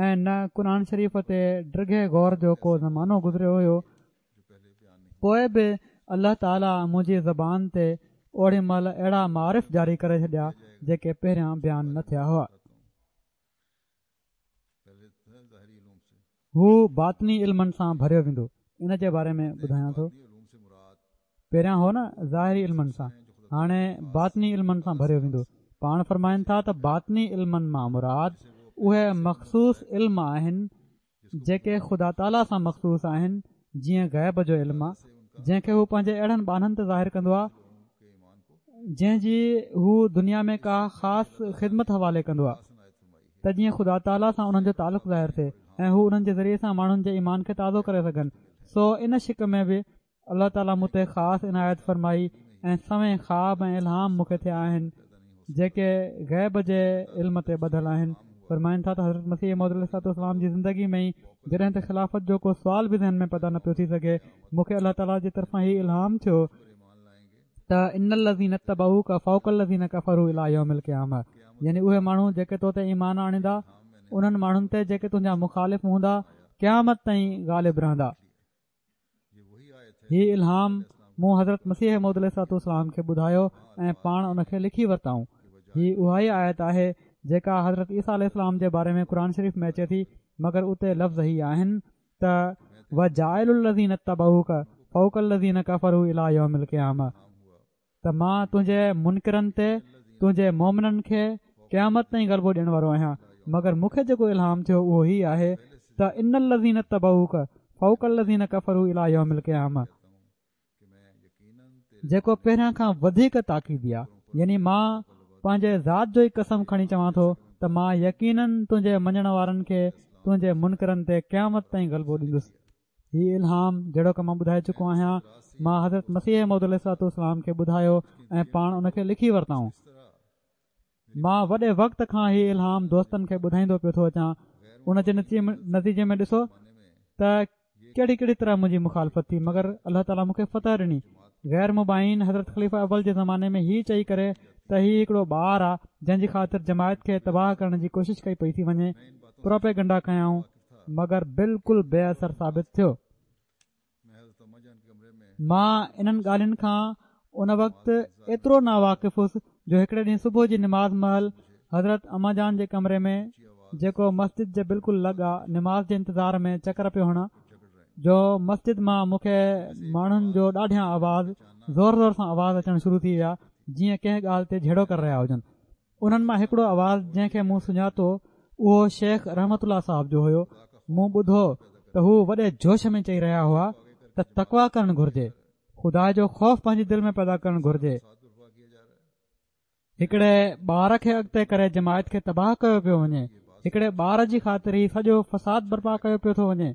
۽ نه قرآن شريف تي ڊگهي غور جو ڪو زمانو گذريو هيو. پوء به الله تعاليٰ منهنجي زبان تي اوڏي مهل اهڙا معارف جاري ڪري ڇڏيا جيڪي پهريان بيان نه ٿيا هئا. هو باطني علمن سان ڀريو ويندو. ان جي باري ۾ ٻڌايان ٿو. پهريان هو نه ظاهري علمن سان، هاڻي باطني علمن سان ڀريو ويندو. پاڻ فرمائن ٿا ته باطني علمن مان مراد اهي مخصوص علم آهن جيڪي خدا تعاليٰ سان مخصوص آهن، جيئن غيب جو علم آ، جنهن کي هو پنهنجي اهڙن ٻانهن تي ظاهر ڪندو آ جنهن جي هو دنيا ۾ ڪا خاص خدمت حوالي ڪندو آ ته جيئن خدا تعاليٰ سان انهن جو تعلق ظاهر ٿئي ۽ هو انهن جي ذريعي سان ماڻهن جي ايمان کي تازو ڪري سگهن. سو ان شق ۾ به الله تعاليٰ مون تي خاص عنايت فرمائي ۽ سوين خواب ۽ الهام مون کي ٿيا آهن جيڪي غيب جي علم تي ٻڌل آهن. فرمائن ٿا ته حضرت مسيح موعود عليه الصلوة والسلام جي زندگي ۾ ئي جڏهن ته خلافت جو ڪو سوال به ذهن ۾ پيدا نه پيو ٿي سگهي، مون کي الله تعاليٰ جي طرفان هي الهام ٿيو ته ان الذين اتبعوڪ فوق الذين ڪفروا الي يوم القيامة، يعني اهي ماڻهو جيڪي تو تي ايمان آڻيندا انهن ماڻهن تي جيڪي تنهنجا مخالف هوندا قيامت تائين غالب رهندا. هي الهام مون حضرت مسيح موعود عليه الصلوة والسلام کي ٻڌايو ۽ پاڻ ان کي لکي ورتائون. هي اها ئي آيت آهي جيڪا حضرت عيسيٰ عليه السلام جي باري ۾ قرآن شريف ۾ اچي ٿي، مگر اتي لفظ هي آهن ته وجاعل الذين اتبعوڪ فوق الذين ڪفروا الي يوم القيامة، ته مان تنهنجي منڪرن تي تنهنجي مومنن کي قيامت تائين غلبو ڏيڻ وارو آهيان. مگر مون کي جيڪو الهام ٿيو اهو هي آهي ته ان الذين اتبعوڪ فوق الذين ڪفروا الي يوم القيامة، جيڪو پهريان کان وڌيڪ تاڪيدي آ. يعني مان پنهنجي ذات جو ئي قسم کڻي چوان ٿو ته مان يقينن تنهنجي مڃڻ وارن کي تنهنجي منڪرن تي قيامت تائين غلبو ڏيندس. هي الهام جهڙوڪ مان ٻڌائي چڪو آهيان، مان حضرت مسيح موعود عليه الصلوة والسلام کي ٻڌايو ۽ پاڻ ان کي لکي ورتائون. مان وڏي وقت کان هي الهام دوستن کي ٻڌائيندو پيو ٿو اچان. ان جي نتيجي ۾ ڏسو ته ڪهڙي ڪهڙي طرح منهنجي مخالفت ٿي، مگر الله تعاليٰ مون کي فتح ڏني. غير مبائعين حضرت خليفه اول جي زماني ۾ هي چئي ڪري ته هي هڪڙو ٻار آ جنهن جي خاطر جماعت کي تباهه ڪرڻ جي ڪوشش ڪئي پئي ٿي وڃي، پروپيگنڊا ڪيائون، مگر بلڪل بي اثر ثابت ٿيو. مان انهن ڳالهين کان ان وقت ايترو ناواقف هوس جو هڪڙي ڏينهن صبح جي نماز مهل حضرت اما جان جي ڪمري ۾ جيڪو مسجد جي بلڪل لڳ آ نماز جي انتظار ۾ چڪر پيو هڻان جو مسجد مان مون کي ماڻهن جو ڏاڍيان آواز زور زور سان آواز اچڻ شروع ٿي ويا، جيئن ڪنهن ڳالهه تي جهيڙو ڪري رهيا هجن. انهن مان هڪڙو آواز جنهن کي مون سڃاتو اهو شيخ رحمت الله صاحب جو هيو. مون ٻڌو ته هو وڏي جوش ۾ چئي رهيا هئا ته تقويٰ ڪرڻ گهرجي، خدا جو خوف پنهنجي دل ۾ پيدا ڪرڻ گهرجي. هڪڙي ٻار کي اڳتي ڪري جماعت کي تباهه ڪيو پيو وڃي، هڪڙي ٻار جي خاطر هي سڄو فساد برپا ڪيو پيو ٿو وڃي.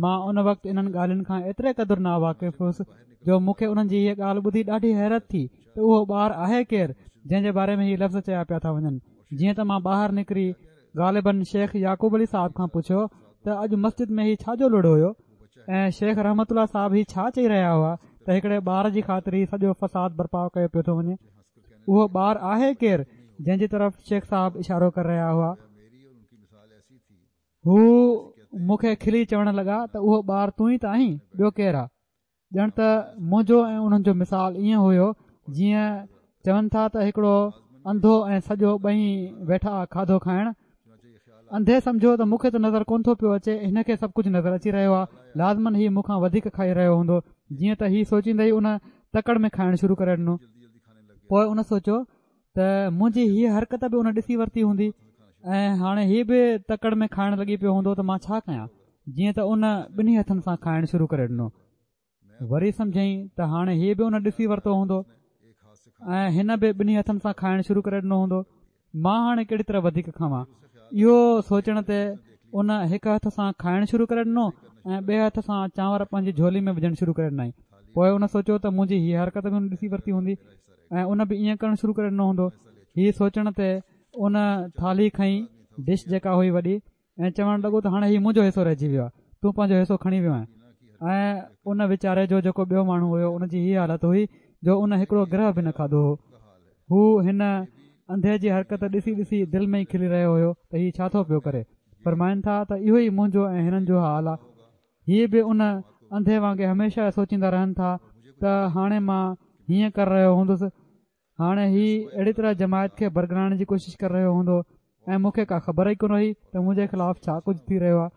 مان ان وقت انهن ڳالهين کان ايتري قدر ناواقف هوس جو مون کي انهن جي هيء ڳالهه ٻڌي ڏاڍي حيرت ٿي ته اهو ٻار آهي ڪير جنهن جي باري ۾ هي لفظ چيا پيا ٿا وڃن. جيئن ته مان ٻاهر نڪري غالباً شيخ يعقوب علي صاحب کان پڇيو ته اڄ مسجد ۾ هي ڇا جو لڙ هيو ۽ شيخ رحمت الله صاحب هي ڇا چئي رهيا هئا ته هڪڙي ٻار جي خاطر هي سڄو فساد برپا ڪيو پيو ٿو وڃي، اهو ٻار آهي ڪير جنهن جي طرف شيخ صاحب اشارو ڪري رهيا هئا. هو مون کي کلي چوڻ لڳا ته اهو ٻار تون ئي ته آهين، ٻيو ڪير آ؟ ڄڻ ته منهنجو ۽ انهن جو مثال ائين هيو جيئن چون ٿا ته هڪڙو انڌو ۽ سڄو ٻئي ويٺا کاڌو کائڻ. انڌي سمجهيو ته مون کي ته نظر ڪونه ٿو پيو اچي، هن کي سڀ ڪجهه نظر اچي رهيو آهي، لازماً هي مون کان وڌيڪ کائي رهيو هوندو. جيئن ته هي سوچيندي ئي ان تڪڙ ۾ کائڻ شروع ڪري ڏنو. پوء ان سوچيو ته منهنجي هيء حرڪت به ان ڏسي ورتي هوندي ۽ هاڻي هي به تڪڙ ۾ کائڻ لڳي پيو هوندو ته مان ڇا ڪيان. جيئن ته ان ٻنهي هٿن سان کائڻ شروع ڪري ڏنو. وري سمجهيائين ته هاڻي هي به ان ڏسي ورتو هوندو ۽ هن به ٻنهي هٿن سان کائڻ شروع ڪري ڏنو هوندو، مان هاڻي ڪهڙي طرح وڌيڪ کاوان. اهو سوچڻ تي ان هڪ هٿ سان کائڻ شروع ڪري ڏنو ۽ ٻئي هٿ سان چانور پنهنجي جهولي ۾ وجهڻ شروع ڪري ڏنائين. پوء ان سوچيو ته منهنجي هيء حرڪت به ان ڏسي ورتي هوندي ۽ ان به ائين ڪرڻ شروع ڪري ڏنو هوندو. هي سوچڻ تي ان ٿالهي کنئي، ڊش جيڪا هئي وڏي، ۽ چوڻ لڳو ته هاڻي هي منهنجو حصو رهجي ويو آهي، تون پنهنجو حصو کڻي ويو آهين. ۽ ان ويچاري جو جيڪو ٻيو ماڻهو هيو ان جي هيء حالت هئي جو ان هڪڙو گرهه به نه کاڌو هو. هو هن انڌي جي حرڪت ڏسي ڏسي دل ۾ ئي کلي رهيو هيو ته هي ڇا ٿو پيو ڪري. فرمائن ٿا ته اهو ئي منهنجو ۽ هنن جو حال آهي. هي به ان انڌي وانگي هميشه سوچيندا رهن ٿا ته هاڻي مان هيئن ڪري رهيو هوندس، هاڻي هي اهڙي طرح جماعت کي برغلائڻ جي ڪوشش ڪري رهيو هوندو ۽ مون کي ڪا خبر ئي ڪونه هئي ته منهنجي خلاف ڇا ڪجهه ٿي رهيو آهي.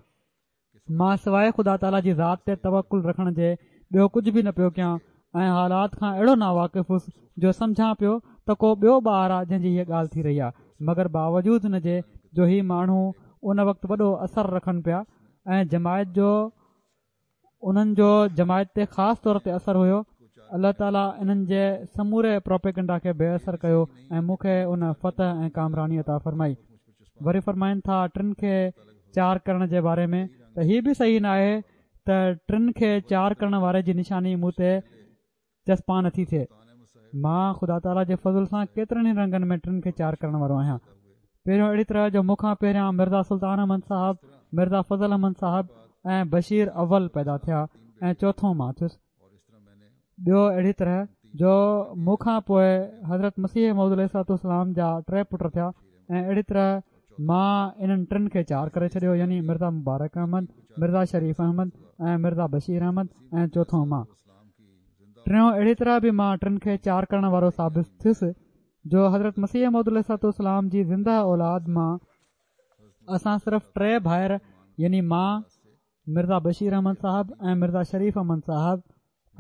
مان سواء خدا تعاليٰ جي ذات تي توڪل رکڻ جي ٻيو ڪجهه به نه پيو ڪيان ۽ حالات کان اهڙو ناواقف هوس جو سمجهان پيو ته ڪو ٻيو ٻار آهي جنهن جي هيء ڳالهه ٿي رهي آهي، مگر باوجود ان جي جو هي ماڻهو ان وقت وڏو اثر رکن پيا ۽ جماعت جو انهن جو جماعت تي خاص طور تي اثر هيو، الله تعاليٰ انهن جي سموري پروپيگنڊا کي بي اثر ڪيو ۽ مون کي ان فتح ۽ ڪامراني عطا فرمائي. وري فرمائن ٿا ٽن کي چار ڪرڻ جي باري ۾ ته هي به صحيح ناهي ته ٽن کي چار ڪرڻ واري جي نشاني مون تي چسپان نٿي ٿئي. مان خدا تعاليٰ جي فضل سان ڪيترن ئي رنگن ۾ ٽن کي چار ڪرڻ وارو آهيان. پهريون اهڙي طرح جو مون کان پهريان مرزا سلطان احمد صاحب، مرزا فضل احمد صاحب ۽ بشير اول پيدا ٿيا ۽ چوٿون مان ٿيس. ٻيو اهڙي طرح جو مون کان پوء حضرت مسيح موعود عليه الصلوة والسلام جا ٽي پٽ ٿيا ۽ اهڙي طرح مان انهن ٽن کي چار ڪري ڇڏيو يعني مرزا مبارڪ احمد، مرزا شريف احمد ۽ مرزا بشير احمد ۽ چوٿون مان. ٽيون اهڙي طرح به مان ٽن کي چار ڪرڻ وارو ثابت ٿيس جو حضرت مسيح موعود عليه الصلوة والسلام جي زنده اولاد مان اسان صرف ٽي ڀائر يعني مان، مرزا بشير احمد صاحب ۽ مرزا شريف احمد صاحب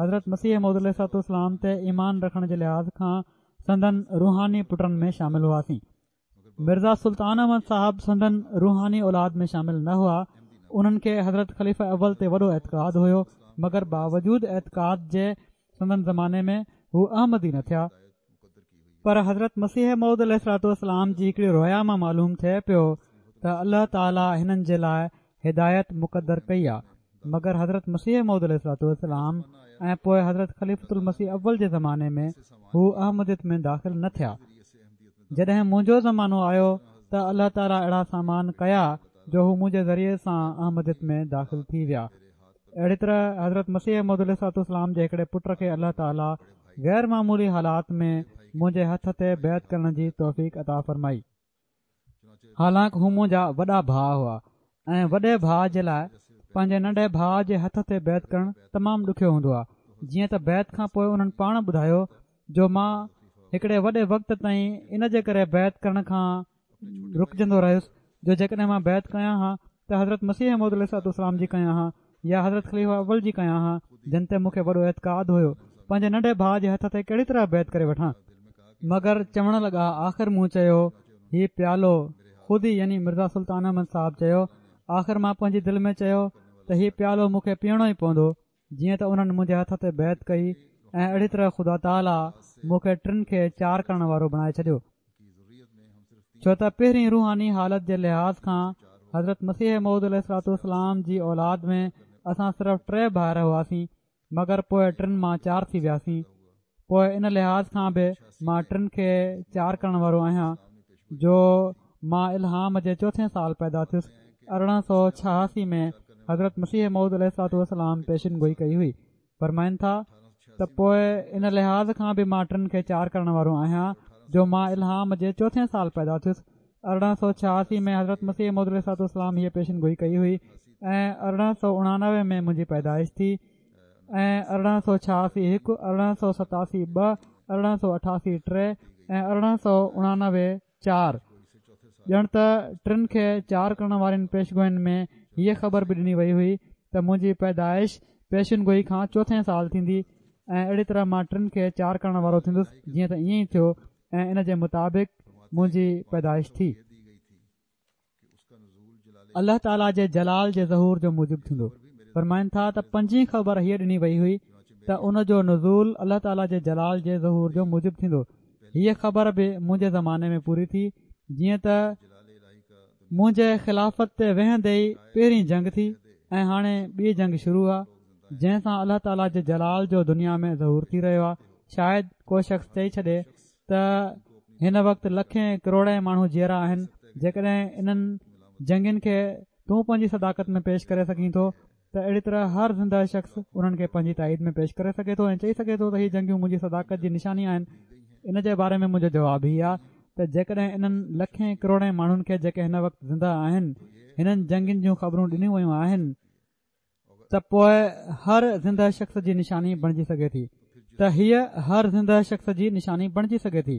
حضرت مسيح موعود عليه الصلوة والسلام تي ايمان رکڻ جي لحاظ کان سندن روحاني پٽن ۾ شامل هئاسين. مرزا سلطان احمد صاحب سندن روحاني اولاد ۾ شامل نه هئا. انهن کي حضرت خليفه اول تي وڏو اعتقاد هيو، مگر باوجود اعتقاد جي سندن زماني ۾ هو احمدي نه ٿيا. پر حضرت مسيح موعود عليه الصلوة والسلام جي هڪڙي رويا مان معلوم ٿئي پيو ته الله تعاليٰ هنن جي لاء هدايت مقدر ڪئي آ، مگر حضرت مسيح موعود عليه الصلوة والسلام ۽ پوء حضرت خليفة المسيح اول جي زماني ۾ هو احمديت ۾ داخل نه ٿيا. جڏهن منهنجو زمانو آيو ته الله تعاليٰ اهڙا سامان ڪيا جو هو منهنجي ذريعي سان احمديت ۾ داخل ٿي ويا. اهڙي طرح حضرت مسيح موعود عليه الصلوة والسلام جي هڪڙي پٽ کي الله تعاليٰ غير معمولي حالات ۾ منهنجي هٿ تي بيعت ڪرڻ جي توفيق عطا فرمائي. حالانڪ هو منهنجا وڏا ڀاء هئا ۽ وڏي ڀاء جي لاء پنهنجي ننڍي ڀاء جي هٿ تي بيعت ڪرڻ تمام ڏکيو هوندو آهي. جيئن ته بيعت کان پوء انهن پاڻ ٻڌايو جو مان هڪڙي وڏي وقت تائين ان جي ڪري بيعت ڪرڻ کان رڪجندو رهيس جو جيڪڏهن مان بيعت ڪيان ها ته حضرت مسيح موعود عليه الصلوة والسلام جي ڪيان ها يا حضرت خليفه اول جي ڪيان ها، جن تي مون کي وڏو اعتقاد هيو، پنهنجي ننڍي ڀاء جي هٿ تي ڪهڙي طرح بيعت ڪري وٺان. مگر چوڻ لڳا آخر مون چيو هي پيالو خود ئي يعني مرزا سلطان احمد صاحب چيو آخر مان پنهنجي دل ۾ چيو ته هي پيالو مون کي پيئڻو ئي پوندو. جيئن ته انهن منهنجي هٿ تي بيعت ڪئي ۽ اهڙي طرح خدا تعاليٰ مون کي ٽن کي چار ڪرڻ وارو بڻائي ڇڏيو. ڇو ته پهرين روحاني حالت جي لحاظ کان حضرت مسيح موعود عليه الصلوة والسلام جي اولاد ۾ اسان صرف ٽي ڀائر هئاسين، مگر پوء ٽن مان چار ٿي وياسين. پوء ان لحاظ کان به مان ٽن کي چار ڪرڻ وارو آهيان جو مان الهام جي چوٿين سال پيدا ٿيس. ارڙهن سؤ ڇهاسي ۾ حضرت مسيح موعود عليه الصلوة والسلام پيشن گوئي ڪئي هئي. فرمائن ٿا ته پوء ان لحاظ کان به مان ٽن کي چار ڪرڻ وارو آهيان جو مان الهام جي چوٿين سال پيدا ٿيس. ارڙهن سؤ ڇهاسي ۾ حضرت مسيح موعود عليه الصلوة والسلام هيء پيشن گوئي ڪئي هئي ۽ ارڙهن سؤ اڻانوي ۾ منهنجي پيدائش ٿي ۽ ارڙهن سؤ ڇهاسي هڪ، ارڙهن سؤ ستاسي ٻه، ارڙهن سؤ اٺاسي ٽي ۽ ارڙهن سؤ اڻانوي چار. ڄڻ ته ٽن کي چار ڪرڻ وارين پيشگوين ۾ هيء خبر به ڏني وئي هئي ته منهنجي پيدائش پيشن گوئي کان چوٿين سال ٿيندي ۽ اهڙي طرح مان ٽن کي چار ڪرڻ وارو ٿيندس، جيئن ته ائين ئي ٿيو ۽ ان جي مطابق منهنجي پيدائش ٿي. الله تعاليٰ جي جلال جي ظهور جو موجب ٿيندو. فرمائن ٿا ته پنجين خبر هيء ڏني وئي هئي ته ان جو نزول الله تعاليٰ جي جلال جي ظهور جو موجب ٿيندو. هيء خبر به منهنجي زماني ۾ پوري ٿي، جيئن ته منهنجي خلافت تي ويهندي ئي پهرين جنگ ٿي ۽ هاڻي ٻي جنگ شروع آ، جنهن سان الله تعاليٰ جي جلال جو دنيا ۾ ظهور ٿي رهيو آ. شايد ڪو شخص چئي ڇڏي ته هن وقت لکين ڪروڙين ماڻهو جيئرا آهن، جيڪڏهن انهن جنگين کي تون پنهنجي صداقت ۾ پيش ڪري سگهين ٿو ته اهڙي طرح هر زنده شخص انهن کي پنهنجي تائيد ۾ پيش ڪري سگهي ٿو ۽ چئي سگهي ٿو ته هي جنگيون منهنجي صداقت جي نشاني آهن. ان جي باري ۾ منهنجو جواب هي آ ته جيڪڏهن انهن لکين ڪروڙين ماڻهن کي جيڪي هن وقت زنده آهن هنن جنگين جون خبرون ڏنيون ويون آهن ته پوء هر زنده شخص جي نشاني بڻجي سگهي ٿي ته هيء هر زنده شخص جي نشاني بڻجي سگهي ٿي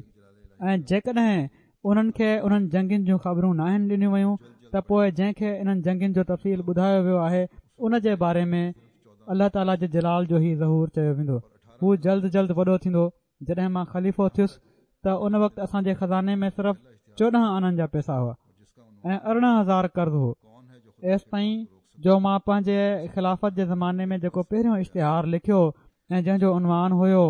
۽ جيڪڏهن انهن کي انهن جنگين جون خبرون ناهن ڏنيون ويون ته پوء جنهن کي انهن جنگين جو تفصيل ٻڌايو ويو آهي ان جي باري ۾ الله تعاليٰ جي جلال جو هي ظهور چيو ويندو. هو جلد جلد وڏو ٿيندو. جڏهن مان خليفو ٿيس ته ان وقت اسان جي خزاني ۾ صرف چوڏهن آنن جا پئسا هئا ۽ ارڙهن هزار قرض هو. ايستائين جو مان پنهنجي خلافت جي زماني ۾ جيڪو پهريون اشتهار لکيو ۽ جنهن جو عنوان هيو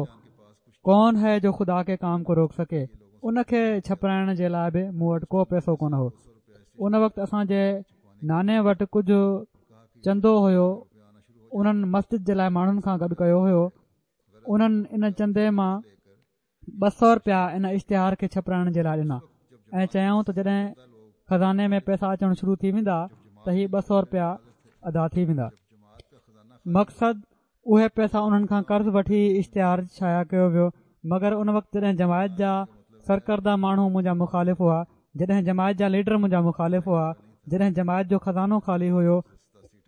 ڪون هي جو خدا ڪي ڪام ڪو روڪ سڪي، ان کي ڇپرائڻ جي لاء به مون وٽ ڪو پئسو ڪونه هو. ان وقت اسان جي ناني وٽ ڪجهه چندو هيو، انهن مسجد جي لاء ماڻهن کان گڏ ڪيو هيو. انهن ان چندي مان ٻه سؤ رپيا ان اشتهار کي ڇپرائڻ جي لاء ڏنا ۽ چيائون ته جڏهن خزاني ۾ پئسا اچڻ شروع ٿي ويندا ته هي ٻه سؤ رپيا ادا ٿي ويندا. مقصد اهي پئسا انهن کان قرض وٺي اشتهار شايع ڪيو ويو، مگر ان وقت جڏهن جماعت جا سرڪرده ماڻهو منهنجا مخالف هئا، جڏهن جماعت جا ليڊر منهنجا مخالف هئا، جڏهن جماعت جو خزانو خالي هيو،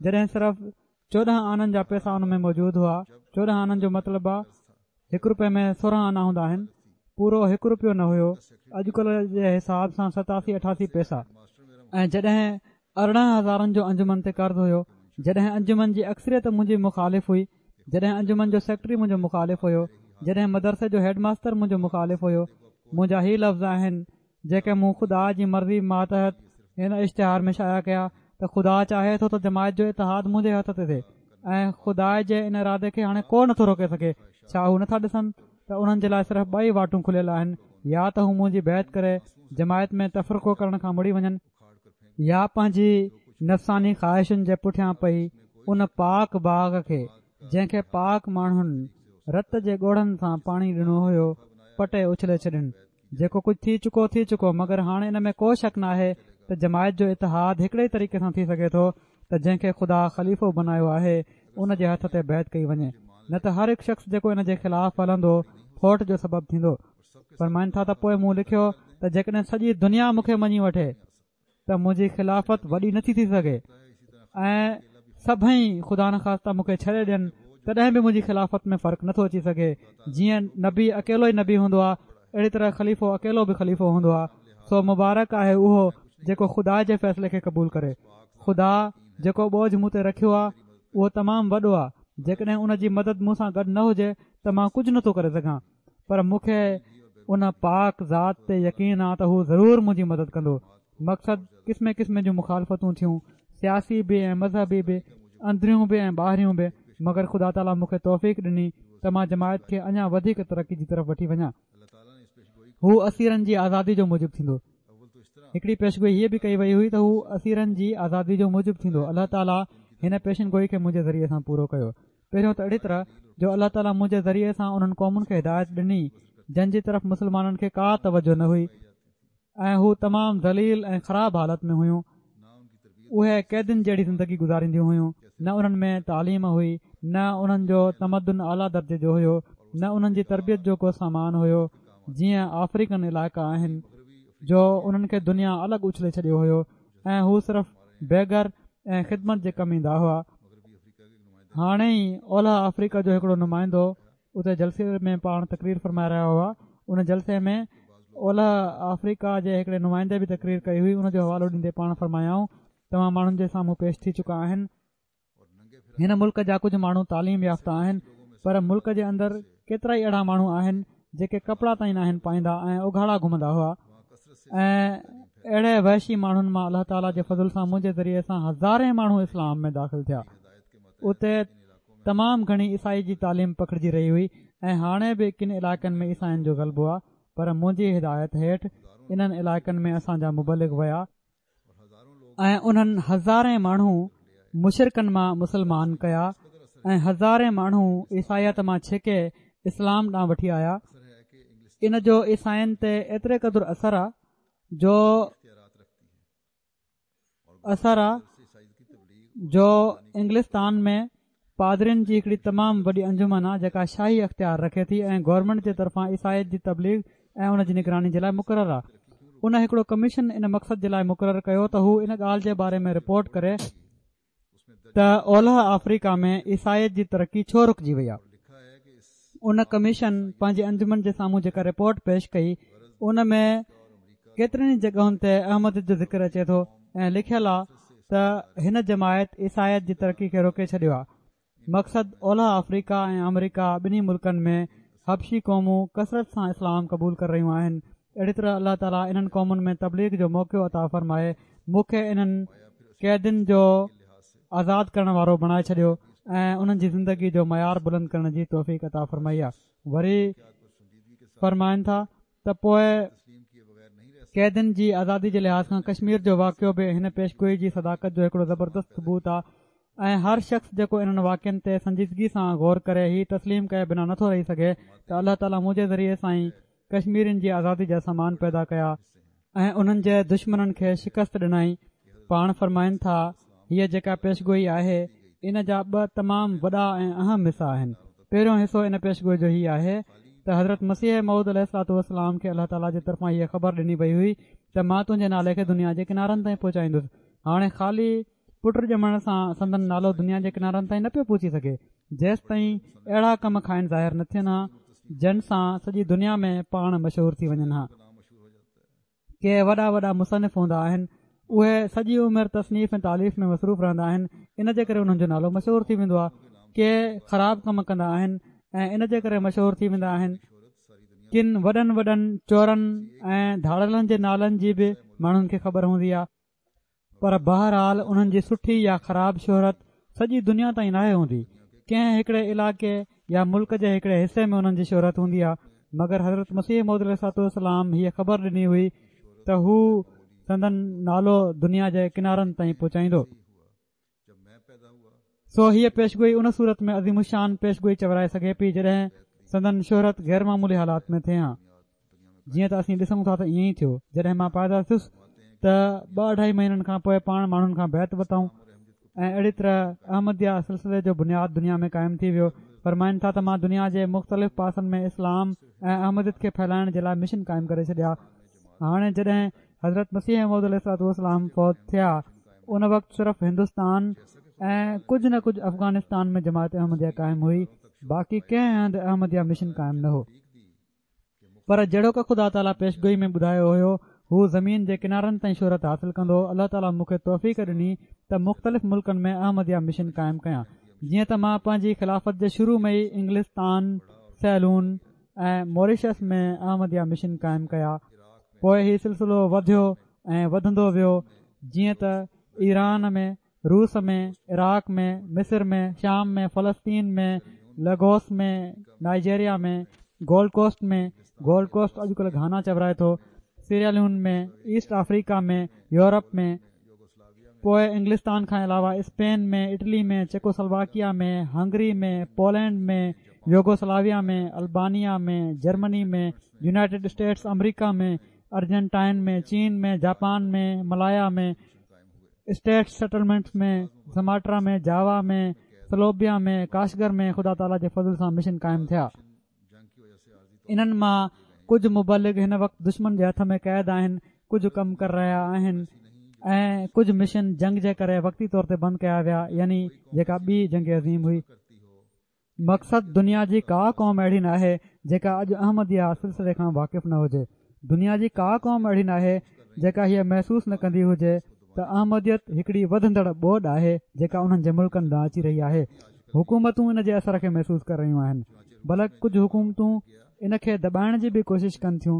جڏهن صرف چوڏهن آنن جا پئسا ان ۾ موجود هئا، چوڏهن آنن جو مطلب آ هڪ روپئي ۾ سورهن آنا هوندا آهن، پورو هڪ روپيو نه هيو، اڄڪلهه جي حساب سان ستاسي اٺاسي پئسا، ۽ جڏهن ارڙهن هزارن جو انجمن تي قرض هيو، جڏهن انجمن جي اڪثريت منهنجي مخالف هئي، جڏهن انجمن جو سيڪريٽري منهنجو مخالف هيو، جڏهن مدرسي جو هيڊ ماستر منهنجو مخالف هيو. منهنجا هي لفظ آهن جيڪي مون خدا جي مرضي ماتحت هن اشتهار ۾ شايع ڪيا ته خدا چاهي ٿو ته جماعت جو اتحاد منهنجي هٿ تي ٿئي ۽ خدا جي ان ارادي کي هاڻي ڪو نٿو روڪي سگهي. ڇا هو نٿا ڏسن ته انهن جي لاء صرف ٻه ئي واٽون کليل آهن، يا ته هو منهنجي بيعت ڪري جماعت ۾ تفرقو ڪرڻ کان مڙي وڃن، يا پنهنجي نفساني خواهشن جي پٺيان پئي ان پاڪ باغ کي جنهن کي پاڪ ماڻهن رت جي ڳوڙهن سان پاڻي ڏنو هيو پٽي اڇلي ڇڏين. جيڪو ڪجهه ٿي چڪو ٿي چڪو، مگر هاڻي ان ۾ ڪو شڪ ناهي ته جماعت جو اتحاد هڪڙي ئي طريقي سان ٿي سگهي ٿو ته جنهن کي خدا خليفو بنايو آهي ان جي هٿ تي بيعت ڪئي وڃي، نه ته هر هڪ شخص جيڪو ان جي خلاف هلندو ڦوٽ جو سبب ٿيندو. فرمائن ٿا ته پوء مون لکيو ته جيڪڏهن سڄي دنيا مون کي مڃي وٺي ته منهنجي خلافت وڏي نٿي ٿي سگهي ۽ سڀئي خدا نخواسته مون کي ڇڏي ڏين تڏهن به منهنجي خلافت ۾ فرق نٿو اچي سگهي. جيئن نبي اڪيلو ئي نبي هوندو آهي اهڙي طرح خليفو اڪيلو به خليفو هوندو آهي. سو مبارڪ آهي اهو جيڪو خدا جي فيصلي کي قبول ڪري. خدا جيڪو ٻوجهه مون تي رکيو آهي اهو تمام وڏو آهي، جيڪڏهن ان جي مدد مون سان گڏ نه هجي ته مان ڪجهه نٿو ڪري سگهان، پر مون کي ان پاڪ ذات تي يقين آ ته هو ضرور منهنجي مدد ڪندو. مقصد قسمين قسمين جون مخالفتون ٿيون، سياسي به ۽ مذهبي به، اندريون به ۽ ٻاهريون به، مگر خدا تعاليٰ مون کي توفيق ڏني ته مان جماعت کي اڃا وڌيڪ ترقي جي طرف وٺي وڃان. هو اسيرن جي آزادي جو موجب ٿيندو. هڪڙي پيشگوئي هيء به ڪئي وئي هئي ته هو اسيرن جي آزادي جو موجب ٿيندو. الله تعاليٰ هن پيشن گوئي کي منهنجي ذريعي سان پورو ڪيو. پهريون ته اهڙي طرح جو الله تعاليٰ منهنجي ذريعي سان انهن قومن کي هدايت ڏني جن جي طرف مسلمانن کي ڪا توجه نه هئي ۽ هو تمام ذليل ۽ خراب حالت ۾ هيون. اهي قيدين جهڙي زندگي گذارينديون هيون. نه انهن ۾ تعليم هئي، نه انهن جو تمدن اعليٰ درجي جو هيو، نه انهن جي تربيت جو ڪو سامان هيو، جيئن آفريڪن علائقا آهن جو انهن کي دنيا الڳ اڇلي ڇڏيو هيو ۽ هو صرف بيگر ۽ خدمت جي ڪم ايندا هئا. هاڻي ئي اولهه آفريڪا جو هڪڙو نمائندو اتي جلسي ۾ پاڻ تقرير فرمائي رهيا هئا. ان جلسي ۾ اولهه آفريڪا جي هڪڙي نمائندي به تقرير ڪئي هئي. ان جو حوالو ڏيندي پاڻ فرمايائون، توهان ماڻهن جي سامهون پيش ٿي چڪا آهن. هن ملڪ جا ڪجهه ماڻهو تعليم يافته آهن، پر ملڪ جي اندر ڪيترائي اهڙا ماڻهو آهن جيڪي ڪپڙا تائين ناهن پائيندا ۽ اگهاڙا گهمندا هئا ۽ اهڙي وحشي ماڻهن مان الله تعاليٰ جي فضل سان منهنجي ذريعي سان هزارين ماڻهو اسلام ۾ داخل ٿيا. اتي تمام گهڻي عيسائي جي تعليم پکڙجي رهي هئي ۽ هاڻي به ڪن علائقن ۾ عيسائين جو غلبو آهي، پر منهنجي هدايت هيٺ انهن علائقن ۾ اسان جا مبلغ ويا ۽ انهن هزارين ماڻهو مشرڪن مان مسلمان ڪيا ۽ هزارين ماڻهو عيسائيت مان ڇڪي اسلام ڏانهن وٺي آيا. ان جو عيسائين تي ايتري قدر اثر آ جو اثر آ جو انگلستان ۾ پادرين جي هڪڙي تمام وڏي انجمن آ جيڪا شاهي اختيار رکي ٿي ۽ گورنمينٽ جي طرفان عيسائيت جي تبليغ ۽ ان جي نگراني جي لاء مقرر آ. ان هڪڙو ڪميشن ان مقصد جي لاء مقرر ڪيو ته هو ان ڳالهه جي باري ۾ رپورٽ ڪري ته اولهه آفريڪا ۾ عيسائيت جي ترقي ڇو رڪجي وئي آ. ان ڪميشن پنهنجي انجمن جي سامهون جيڪا رپورٽ پيش ڪئي ان ۾ ڪيترين ئي جڳهن تي احمديت جو ذڪر اچي ٿو ۽ لکيل آ ته هن جماعت عيسائيت جي ترقي کي روڪي ڇڏيو آ. مقصد اولهه آفريڪا ۽ آمريڪا ٻنهي ملڪن ۾ حبشي قومون ڪثرت سان اسلام قبول ڪري رهيون آهن. اهڙي طرح الله تعاليٰ انهن قومن ۾ تبليغ جو موقعو عطا فرمائي مون کي انهن قيدين جو آزاد ڪرڻ وارو بڻائي ڇڏيو ۽ انهن جي زندگي جو معيار بلند ڪرڻ جي توفيق عطا فرمائي آ. وري فرمائن ٿا ته پوء قيدين جي آزادي جي لحاظ کان ڪشمير جو واقعو به هن پيشگوئي جي صداقت جو هڪڙو زبردست ثبوت آ ۽ هر شخص جيڪو انهن واقعن تي سنجيدگي سان غور ڪري هي تسليم ڪئي بنا نٿو رهي سگهي ته الله تعاليٰ منهنجي ذريعي سان ئي ڪشميرين جي آزادي جا سامان پيدا ڪيا ۽ انهن جي دشمنن کي شڪست ڏنائين. پاڻ فرمائن ٿا، هيء جيڪا پيشگوئي آهي، ان جا ٻه تمام وڏا ۽ اهم حصا آهن. پهريون حصو ان پيشگوئي جو هي آهي ته حضرت مسيح موعود عليه الصلوة والسلام کي الله تعاليٰ جي طرفان هيء خبر ڏني وئي هئي ته مان تنهنجي نالي کي دنيا جي ڪنارن تائين پهچائيندس. هاڻي خالي پٽ ڄمڻ سان سندن نالو دنيا جي ڪنارن تائين نه پيو پهچي سگهي، جيستائين اهڙا ڪم کانئن ظاهر نه ٿين ها، جن سان سڄي دنيا ۾ پاڻ مشهور ٿي وڃن ها. ڪي وڏا وڏا مصنف هوندا آهن، اهي سڄي عمر تصنيف ۽ تاليف ۾ مصروف رهندا آهن، ان جي ڪري انهن جو نالو مشهور ٿي ويندو آهي. ڪي خراب ڪم ڪندا آهن ۽ ان جي ڪري مشهور ٿي ويندا آهن. ڪن وڏن وڏن چورن ۽ ڌاڙيلن جي نالن جي به ماڻهن کي خبر هوندي آهي، پر بهرحال انهن جي سٺي يا خراب شهرت سڄي دنيا تائين ناهي هوندي. ڪنهن هڪڙي علائقي يا ملڪ جي هڪڙي حصي ۾ انهن جي شهرت هوندي آهي. مگر حضرت مسيح موعود عليه الصلوة والسلام هيء خبر ڏني هئي ته هو سندن نالو دنيا جي ڪنارن تائين پهچائيندو. سو هيء پيشگوئي ان صورت ۾ عظيم الشان پيشگوئي چورائي سگهي پئي جڏهن سندن شهرت غير معمولي حالات ۾ ٿئي ها. جيئن ته اسين ڏسون ٿا ته ائين ئي ٿيو. جڏهن مان پيدا ٿيس ته ٻه اڍائي مهينن کان پوء پاڻ ماڻهن کان بيعت ورتائون ۽ اهڙي طرح احمديه سلسلي جو بنياد دنيا ۾ قائم ٿي ويو. فرمائن ٿا ته مان دنيا جي مختلف پاسن ۾ اسلام ۽ احمديت کي ڦهلائڻ جي لاء مشن قائم ڪري ڇڏيا. هاڻي جڏهن حضرت مسيح موعود عليه الصلوة والسلام فوت ٿيا ان وقت صرف هندستان ۽ ڪجهه نه ڪجهه افغانستان ۾ جماعت احمديه قائم هئي، باقي ڪنهن هنڌ احمديه مشن قائم نه هو. پر جهڙوڪ خدا تعاليٰ پيشگوئي ۾ ٻڌايو هيو هو زمين جي ڪنارن تائين شهرت حاصل ڪندو. الله تعاليٰ مون کي توفيق ڏني ته مختلف ملڪن ۾ احمديه مشن قائم ڪيان. جيئن ته مان پنهنجي خلافت جي شروع ۾ ئي انگلستان، سيلون ۽ موريشس ۾ احمديه مشن قائم ڪيا. پوء هي سلسلو وڌيو ۽ وڌندو ويو، جيئن ته ايران ۾، روس ۾، عراق ۾، مصر ۾، شام ۾، فلسطين ۾، لگوس ۾، Nigeria ۾، gold coast ۾، gold coast اڄڪلهه گهانا چورائي ٿو، سيراليون ۾، ايسٽ آفريڪا ۾، يورپ ۾، پوء انگلستان کان علاوه Spain ۾، Italy ۾، Czechoslovakia ۾، Hungary ۾، Poland ۾، Yugoslavia ۾، Albania ۾، Germany ۾، United States America ۾، Argentina ۾، چين ۾، جاپان ۾، ملايا ۾، اسٽيٽ سيٽلمينٽس ۾، سماٽرا ۾، جاوا ۾، سلوبيا ۾، ڪاشگر ۾ خدا تعاليٰ جي فضل سان مشن قائم ٿيا. انهن مان ڪجهه مبلغ هن وقت دشمن جي هٿ ۾ قيد آهن، ڪجهه ڪم ڪري رهيا آهن ۽ ڪجهه مشن جنگ جي ڪري وقتي طور تي بند ڪيا ويا، يعني جيڪا ٻي جنگ عظيم هئي. مقصد دنيا جي ڪا قوم اهڙي ناهي جيڪا اڄ احمديه سلسلي کان واقف نه هجي. دنيا جي ڪا قوم اهڙي ناهي جيڪا هيء محسوس نه ڪندي هجي ته احمديت هڪڙي وڌندڙ ٻوڏ آهي جيڪا انهن جي ملڪن ڏانهن اچي رهي آهي. حڪومتون ان جي اثر کي محسوس ڪري رهيون آهن، بلڪ ڪجهه حڪومتون ان کي دٻائڻ جي به ڪوشش ڪن ٿيون.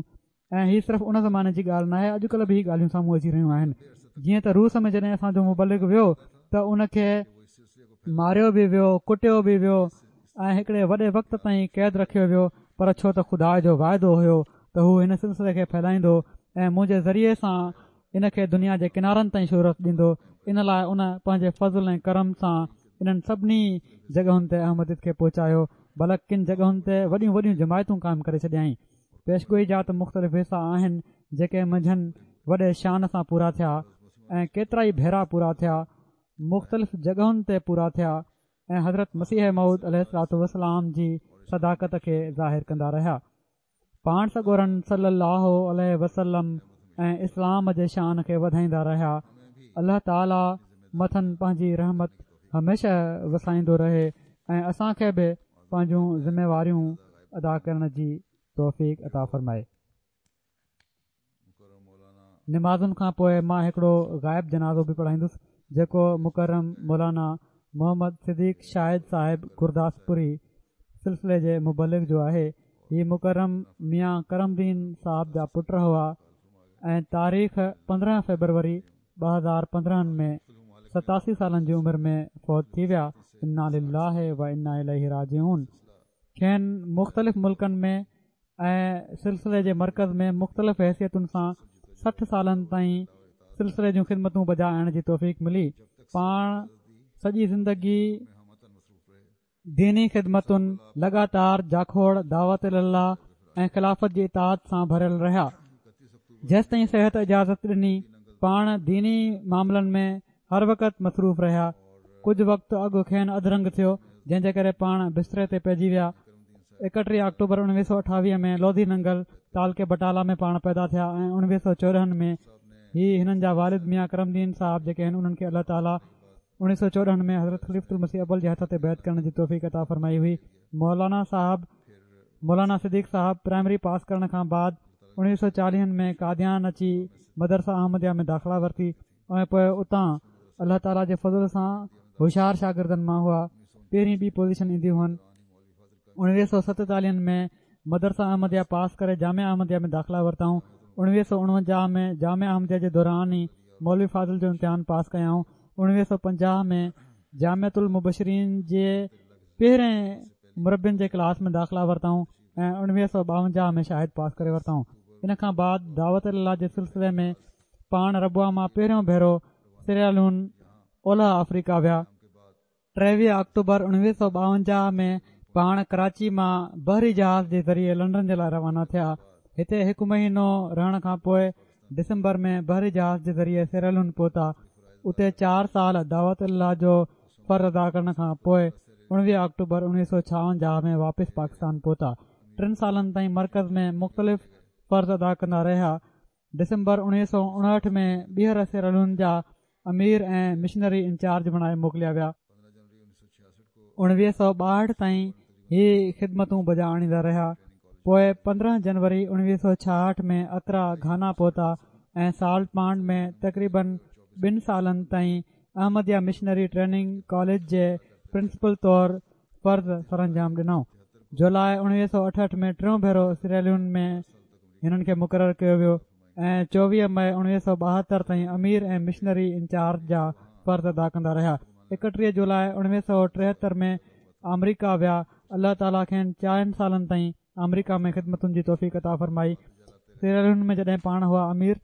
۽ هي صرف ان زماني جي ڳالهه ناهي، اڄڪلهه به هي ڳالهيون سامهون اچي رهيون آهن. جيئن ته روس ۾ جڏهن اسان جو مبلغ ويو ته ان کي ماريو به ويو، ڪٽيو به ويو ۽ هڪڙي وڏي وقت تائين قيد رکيو ويو، پر ڇو ته خدا جو واعدو هيو ته هو هن سلسلي کي ڦهلائيندو ۽ منهنجي ذريعي سان ان کي دنيا جي ڪنارن تائين شهرت ڏيندو، ان لاء ان پنهنجي فضل ۽ ڪرم سان انهن سڀني جڳهن تي احمديت کي پهچايو، بلڪ ڪن جڳهن تي وڏيون وڏيون جماعتون قائم ڪري ڇڏيائين. پيشگوئي جا ته مختلف حصا آهن جيڪي منجهن وڏي شان سان پورا ٿيا ۽ ڪيترائي ڀيرا پورا ٿيا، مختلف جڳهن تي پورا ٿيا ۽ حضرت مسيح موعود عليه الصلوة والسلام جي صداقت کي ظاهر ڪندا رهيا. پاڻ سڳورن صلي الله عليه وسلم ۽ اسلام جي شان کي وڌائيندا رهيا. الله تعاليٰ مٿن پنهنجي رحمت هميشه وسائيندو رهي ۽ اسان کي به پنهنجون ذميواريون ادا ڪرڻ جي توفيق عطا فرمائي. نمازن کان پوء مان هڪڙو غائب جنازو به پڙهائيندس جيڪو مڪرم مولانا محمد صديق شاهد صاحب گرداسپوري سلسلي جي مبلغ جو آهي. هي مڪرم ميان ڪرم دين صاحب جا پٽ هئا ۽ تاريخ پندرهن فيبروري ٻه هزار پندرهن ۾ ستاسي سالن جي عمر ۾ فوت ٿي ويا. انا لله و انا اليه راجعون. کين مختلف ملڪن ۾ ۽ سلسلي جي مرڪز ۾ مختلف حيثيتن سان سٺ سالن تائين سلسلي جون خدمتون بجا آڻڻ جي توفيق ملي. پاڻ سڄي زندگي ديني خدمتن، لڳاتار جاکوڙ، دعوت الي الله ۽ خلافت جي اطاعت سان ڀريل رهيا. جيستائين صحت اجازت ڏني پاڻ ديني معاملن ۾ هر وقت مصروف رهيا. ڪجهه وقت اڳ کين اڌ رنگ ٿيو، جنهن جي ڪري پاڻ بستري تي پئجي ويا. ايڪٽيهه آڪٽوبر اڻويهه سؤ اٺاويهه ۾ لوڌي ننگل تعلقي بٽالا ۾ پاڻ پيدا ٿيا ۽ اڻويهه سؤ چوڏهن ۾ هي هنن جا والد ميان ڪرم دين صاحب جيڪي آهن انهن کي الله تعاليٰ اڻويهه سؤ چوڏهن ۾ حضرت خليفة المسيح اول جي هٿ تي بيعت ڪرڻ جي توفيق عطا فرمائي هئي. مولانا صاحب مولانا صديق صاحب پرائمري پاس ڪرڻ کان بعد اڻويهه سؤ چاليهن ۾ قاديان اچي مدرسه احمديه ۾ داخلا ورتي. ۽ پوءِ اتان الله تعاليٰ جي فضل سان هوشيار شاگردن مان هئا. پهرين ٻي پوزيشن ايندي هئن. اڻويهه سؤ ستيتاليهن ۾ مدرسه احمديه پاس ڪري جامعه احمديه ۾ داخلا ورتائون. اڻويهه سؤ اڻونجاهه ۾ جامعه احمديه جي دوران ئي مولوي فاضل جو امتحان پاس ڪيائون. اڻويهه سؤ پنجاهه ۾ جامعة المبشرين جي پهرين مربين جي ڪلاس ۾ داخلا ورتائون ۽ اڻويهه سؤ ٻاونجاهه ۾ شاهد پاس ڪري ورتائون. ان کان بعد دعوت الله جي سلسلي ۾ پاڻ ربوه مان پهريون ڀيرو سيراليون اولهه آفريڪا ويا. ٽيويهه آڪٽوبر اڻويهه سؤ ٻاونجاهه ۾ پاڻ ڪراچي مان بحري جهاز جي ذريعي لنڊن جي لاءِ روانا ٿيا. هتي هڪ مهينو رهڻ کان پوءِ ڊسمبر ۾ بحري جهاز جي ذريعي سيراليون پهتا. اتي چار سال دعوت الله جو فرض ادا ڪرڻ کان پوءِ اڻويهه آڪٽوبر اڻويهه سؤ ڇاونجاهه ۾ واپس پاڪستان پهتا. ٽن سالن تائين مرڪز ۾ مختلف فرض ادا ڪندا رهيا. ڊسمبر اڻويهه سؤ اڻهٺ ۾ ٻيهر سيراليون جا امير ۽ مشنري انچارج بڻائي موڪليا ويا. اڻويهه سؤ ٻاهٺ تائين هي خدمتون بجا آڻيندا رهيا. پوءِ پندرهن جنوري اڻويهه سؤ ڇاهٺ ۾ اڪرا گهانا پهتا ۽ سالٽ پانڊ ۾ تقريبن ٻن سالن تائين احمديه مشنري ٽريننگ ڪاليج جي پرنسپل طور فرض سرانجام ڏنائون. جولاءِ اڻويهه سؤ اٺهٺ ۾ ٽيون ڀيرو سيراليون ۾ هنن کي مقرر ڪيو ويو ۽ چوويهه مئي اڻويهه سؤ ٻاهتر تائين امير ۽ مشنري انچارج جا فرض ادا ڪندا رهيا. ايڪٽيهه جولاءِ اڻويهه سؤ ٽيهتر ۾ آمريڪا ويا. الله تعاليٰ کين چئن سالن تائين آمريڪا ۾ خدمتن جي توفيق عطا فرمائي. سيراليون ۾ جڏهن پاڻ هئا امير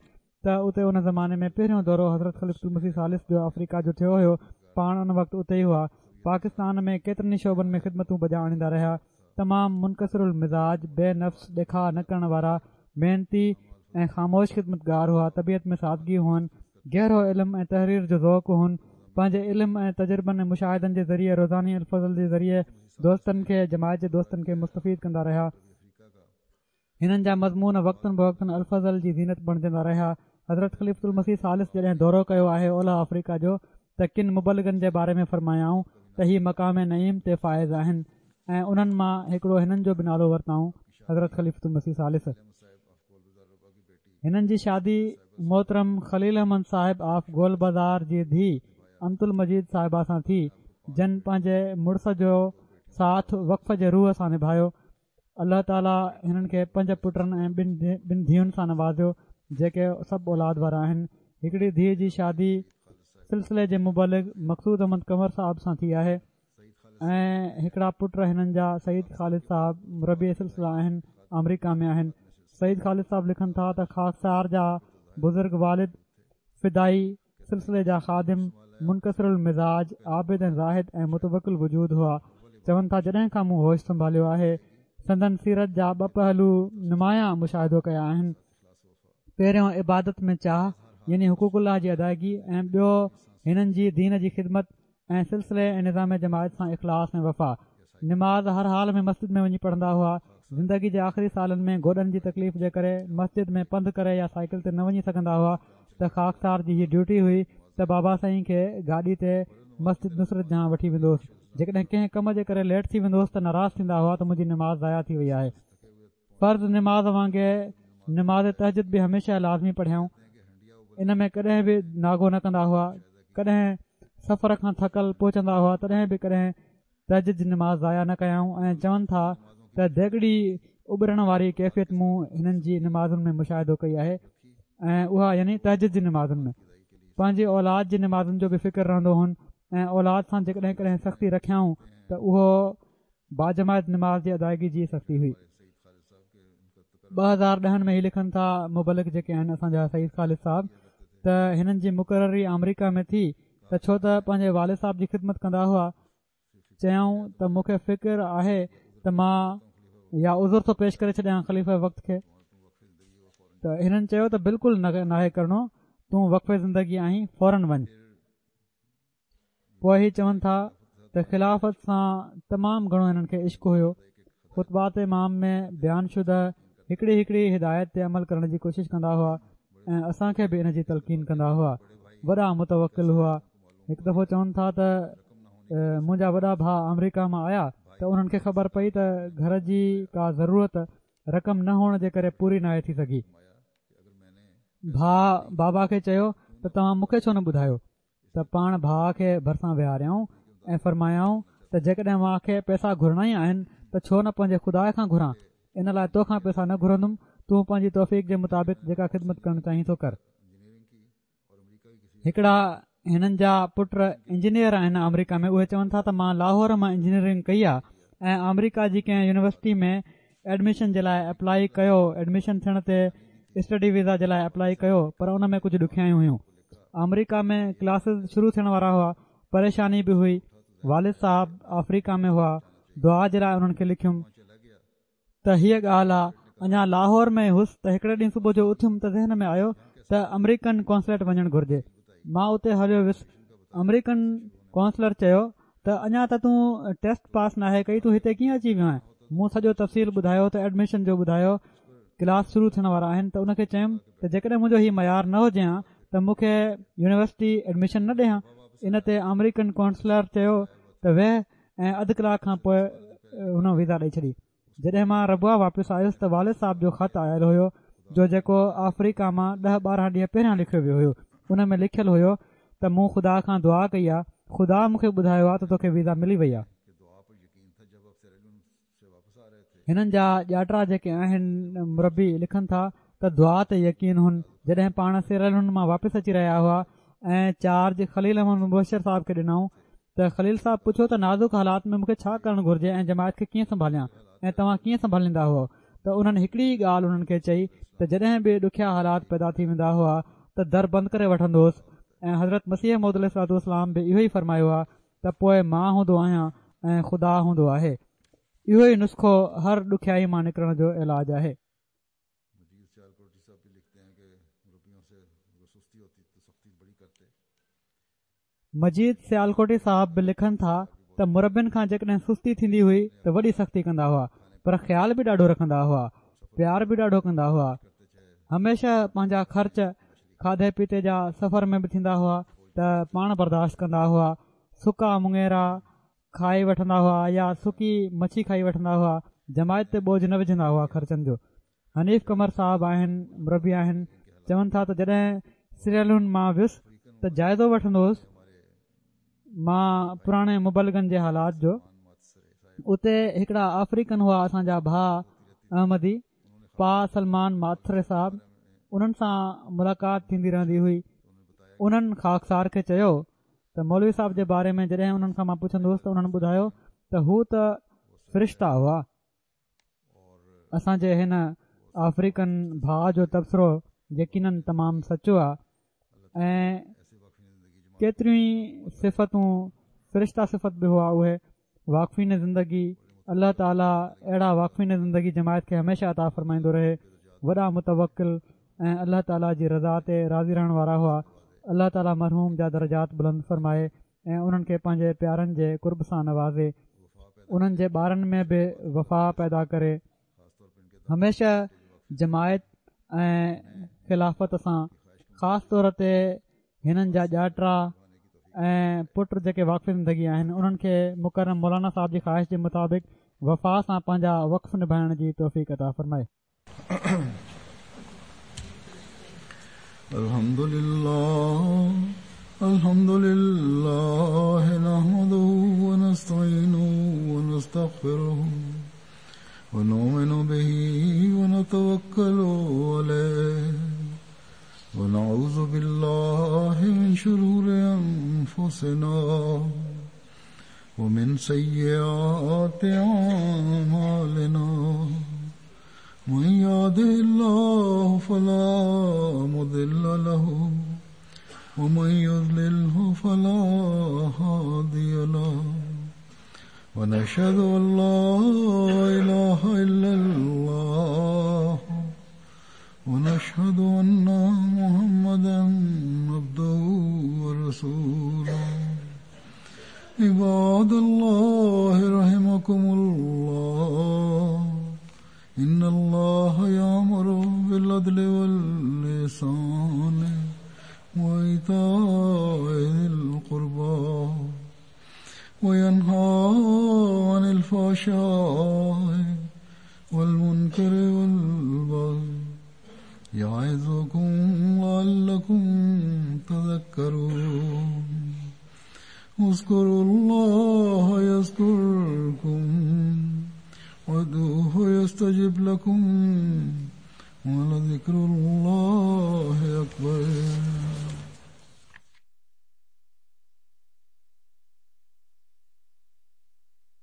ته اتي ان زماني ۾ پهريون دورو حضرت خليفة المسيح ثالث جو آفريڪا جو ٿيو هيو. پاڻ ان وقت اتي ئي هئا. پاڪستان ۾ ڪيترن ئي شعبن ۾ خدمتون بجا آڻيندا رهيا. تمام منڪسر المزاج، بي نفس، ڏيکاءُ نه ڪرڻ وارا، محنتي ۽ خاموش خدمتگار هئا. طبيعت ۾ سادگي هئن، گهرو علم ۽ تحرير جو ذوق هئن. پنهنجي علم ۽ تجربن ۽ مشاهدن جي ذريعي روزاني الفضل جي ذريعي دوستن کي، جماعت جي دوستن کي مستفيد ڪندا رهيا. هنن جا مضمون وقتن بوقتن الفضل جي زينت بڻجندا رهيا. حضرت خليفة المسيح ثالث جڏهن دورو ڪيو آهي اولهه آفريڪا جو ته ڪن مبلغن جي باري ۾ فرمايائون ته هي مقام نعيم تي فائز آهن ۽ انهن مان هڪڙو هنن جو به نالو ورتائون، حضرت خليفة المسيح ثالث. هنن جي شادي محترم خليل احمد صاحب آف گول بازار جي ڌيءُ امت المجيد صاحبه سان ٿي، جن پنهنجي مڙس جو ساٿ وقف جي روح سان نڀايو. الله تعاليٰ هنن کي پنج پٽن ۽ ٻن ٻن ڌيئن سان نوازيو، جيڪي سڀ اولاد وارا آهن. هڪڙي ڌيءُ جي شادي سلسلي جي مبلغ مقصود احمد قمر صاحب سان ٿي آهي ۽ هڪڙا پٽ هنن جا سعيد خالد صاحب مربي سلسله آهن، آمريڪا ۾ آهن. سعيد خالد صاحب لکن ٿا ته خاڪسار جا بزرگ والد فدائي سلسلي جا خادم، منڪسر المزاج، عابد ۽ زاهد ۽ متوڪل وجود هئا. چون ٿا جڏهن کان مون هوش سنڀاليو آهي سندن سيرت جا ٻه پهلو نمايان مشاهدو ڪيا آهن. پهريون عبادت ۾ چاهه يعني حقوق الله جي ادائگي ۽ ٻيو هنن جي دين جي خدمت ۽ سلسلي ۽ نظام جماعت سان اخلاص ۽ وفا. نماز هر حال ۾ مسجد ۾ وڃي پڙهندا هئا. زندگي جي آخري سالن ۾ گوڏن جي تڪليف جي ڪري مسجد ۾ پنڌ ڪري يا سائيڪل تي نه وڃي سگهندا هئا ته خاڪسار جي هيءَ ڊيوٽي هئي ته بابا سائين کي گاڏي تي مسجد نصرت جهان وٺي ويندو هوس. جيڪڏهن ڪنهن ڪم جي ڪري ليٽ ٿي ويندو هوس ته ناراض ٿيندا هئا ته منهنجي نماز ضايع ٿي وئي آهي. فرض نماز وانگي نماز تهجد به هميشه لازمي پڙهيائون. ان ۾ ڪڏهن به ناغو نه ڪندا هئا. ڪڏهن سفر کان ٿڪل پهچندا هئا تڏهن به ڪڏهن تهجد جي نماز ضايع نه ڪيائون ۽ چون ٿا ته ديڳڙي اٻرڻ واري ڪيفيت مون هنن جي نمازن ۾ مشاهدو ڪئي آهي ۽ اها يعني تهجد جي نمازن ۾ پنهنجي اولاد جي نمازن جو به فڪر رهندو هن ۽ اولاد سان جيڪڏهن ڪڏهن سختي رکيائون ته اهو باجماعت نماز جي ادائگي جي سختي هئي. ٻه هزار ڏهن ۾ هي لکن ٿا مبلغ جيڪي آهن اسان جا سعيد خالد صاحب ته هنن جي مقرري آمريڪا ۾ ٿي ته ڇو ته پنهنجي والد صاحب جي خدمت ڪندا هئا. چيائون ته مون کي فڪر آهي ته مان يا عذر ٿو پيش ڪري ڇڏيان خليفه وقت کي. ته هنن چيو ته بلڪل ناهي ڪرڻو، تون وقف زندگي آهين، فورن وڃ. پوءِ هي چون ٿا ته خلافت سان تمام گهڻو هنن کي عشق هيو. خطبات امام ۾ بيان شده هڪڙي هڪڙي هدايت تي عمل ڪرڻ جي ڪوشش ڪندا هئا ۽ اسان کي به ان جي تلقين ڪندا هئا. وڏا متوڪل هئا. هڪ دفعو چون ٿا ته منهنجا وڏا ڀاءُ آمريڪا مان آيا ته انهن کي خبر پئي ته گهر جي ڪا ضرورت رقم نه هئڻ جي ڪري پوري ناهي ٿي سگهي. ڀاءُ بابا کي چيو ته توهان مون کي ڇو نه ٻڌايو؟ ته پاڻ ڀاءُ کي ڀرسان ويهاريائون ۽ فرمايائون ته جيڪڏهن مان کي پئسا گهرڻا ئي آهن ته ڇو نه پنهنجي خدا کان گهران، ان لاءِ توکان پئسا نه گهرندم، تون پنهنجي توفيق جي مطابق جيڪا خدمت ڪرڻ چاهين ٿو ڪر. هڪڙا هنن جا پٽ انجنيئر آهن آمريڪا ۾، اهي چون ٿا ته مان لاهور مان انجنيئرنگ ڪئي آهي ۽ آمريڪا جي ڪنهن يونيورسٽي ۾ ايڊميشن جي لاءِ اپلائي ڪيو، ايڊميشن ٿيڻ تي اسٽڊي ويزا جي لاءِ اپلائي ڪيو، پر ان ۾ ڪجهه ڏکيائيون هيون. آمريڪا ۾ ڪلاسز شروع ٿيڻ وارا هئا، پريشاني به هئي. والد صاحب آفريڪا ۾ هئا، دعا جي لاءِ انهن کي لکيم ته هيءَ ڳالهه آهي. اڃا لاهور ۾ هئس ته هڪڙي ڏينهن صبح جو اٿيم ته ذهن ۾ آيو ته آمريڪن قونصليٽ وڃڻ گهرجي. مان اتي هليو ويس. آمريڪن قونصلر چيو ته اڃا ته تون ٽيسٽ پاس ناهي ڪئي، تون هتي ڪيئن اچي ويو آهين؟ مون سڄو تفصيل ٻڌايو ته ايڊميشن جو ٻڌايو، ڪلاس شروع ٿيڻ وارا آهن. ته ان کي چيم ته جيڪڏهن منهنجو هيءُ معيار نه هجي ها ته مون کي يونيورسٽي ايڊميشن نه ڏي ها. ان تي آمريڪن قونصلر چيو ته ويهه ۽ اڌ ڪلاڪ کان پوءِ هن ويزا ڏئي ڇڏي. جڏهن مان ربوه واپس آيس ته والد صاحب جو خط آيل هيو جو جيڪو آفريڪا مان ڏهه ٻارهن ڏينهن پهريان لکيو ويو هيو. ان ۾ لکيل هيو ته مون خدا کان دعا ڪئي آهي، خدا مون کي ٻڌايو آهي ته توکي ويزا ملي وئي آهي. هنن جا ڄاٽرا جيڪي آهن مربي لکن ٿا ته دعا تي يقين هن. جڏهن پاڻ سيراليون مان واپس اچي رهيا هئا ۽ چارج خليل احمد مبشر صاحب کي ڏنائون ته خليل صاحب پڇيو ته نازڪ حالات ۾ مون کي ڇا ڪرڻ گهرجي ۽ جماعت کي ڪيئن سنڀاليان ۽ توهان ڪيئن سنڀاليندا هئو؟ ته انهن هڪڙي ڳالهه انهن کي چئي ته جڏهن به ڏکيا حالات پيدا ٿي ويندا هئا ته در بند ڪري وٺندو هوس ۽ حضرت مسيح موعود عليه الصلوة والسلام به اهو ئي فرمايو آهي ته پوءِ مان هوندو آهيان ۽ خدا هوندو آهي. اهو ئي نسخو هر ڏکيائي مان نڪرڻ جو علاج آهي. مجيد سيالڪوٽي صاحب به لکن ٿا ته مربين کان جيڪڏهن سستي ٿيندي هئي ته وڏي سختي ڪندا هئا، پر خيال به ڏاڍو رکندا هئا، پيار به ڏاڍو ڪندا هئا. هميشه پنهنجا خرچ کاڌي پيتي جا سفر ۾ به ٿيندا هئا ته پاڻ برداشت ڪندا هئا. سڪا مڱيرا کائي وٺندا هئا يا سڪي مڇي کائي وٺندا هئا، جماعت تي بوجهه نه وجهندا هئا خرچن جو. حنيف قمر صاحب آهن، مربي آهن، چون ٿا ته جڏهن سيراليون مان ويس ته جائزو وٺندو هوس مان پراڻي مبلغن جي حالات جو. اتي هڪڙا آفريڪن هئا اسان جا ڀاءُ احمدي پا سلمان ماٿري صاحب، انهن سان ملاقات ٿيندي رهندي هئي. انهن خاڪسار کي چيو ته مولوي صاحب جي باري ۾ جڏهن انهن کان مان پڇندو هوس ته انهن ٻڌايو ته هو ته فرشتا هئا. اسان جي هن آفريڪن ڀاءُ جو تبصرو يقينن تمام سچو آهي ۽ ڪيتريون ئي صفتون فرشتا صفت به هئا. اهي واقفين زندگي، الله تعاليٰ اهڙا واقفين زندگي جماعت کي هميشه عطا فرمائيندو رهي. وڏا متوڪل ۽ الله تعاليٰ جي رضا تي راضي رهڻ وارا هئا. الله تعاليٰ مرحوم جا درجات بلند فرمائي ۽ انهن کي پنهنجي پيارن جي قرب سان نوازي، انهن جي ٻارن ۾ به وفا پيدا ڪري. هميشه جماعت ۽ خلافت سان خاص طور تي هنن جا ڄاٽرا ۽ پٽ جيڪي واقف زندگي آهن انهن کي مڪرم مولانا صاحب جي خواهش جي مطابق وفا سان پنهنجا وقف نڀائڻ جي توفيق عطا فرمائي. الحمد لله الحمد لله نحمده ونستعينه ونستغفره ونؤمن به ونتوكل عليه ونعوذ بالله من شرور أنفسنا ومن سيئات أعمالنا من يهده الله فلا مضل له ومن يضلله فلا هادي له ونشهد أن لا إله إلا الله ونشهد أن محمدا عبده ورسوله. عباد الله رحمكم الله، إن الله يأمر بالعدل والإحسان وإيتاء ذي القربى وينهى عن الفحشاء والمنكر والبغي يعظكم لعلكم اذكروا الله يذكركم وادعوه يستجب لكم ولذكر الله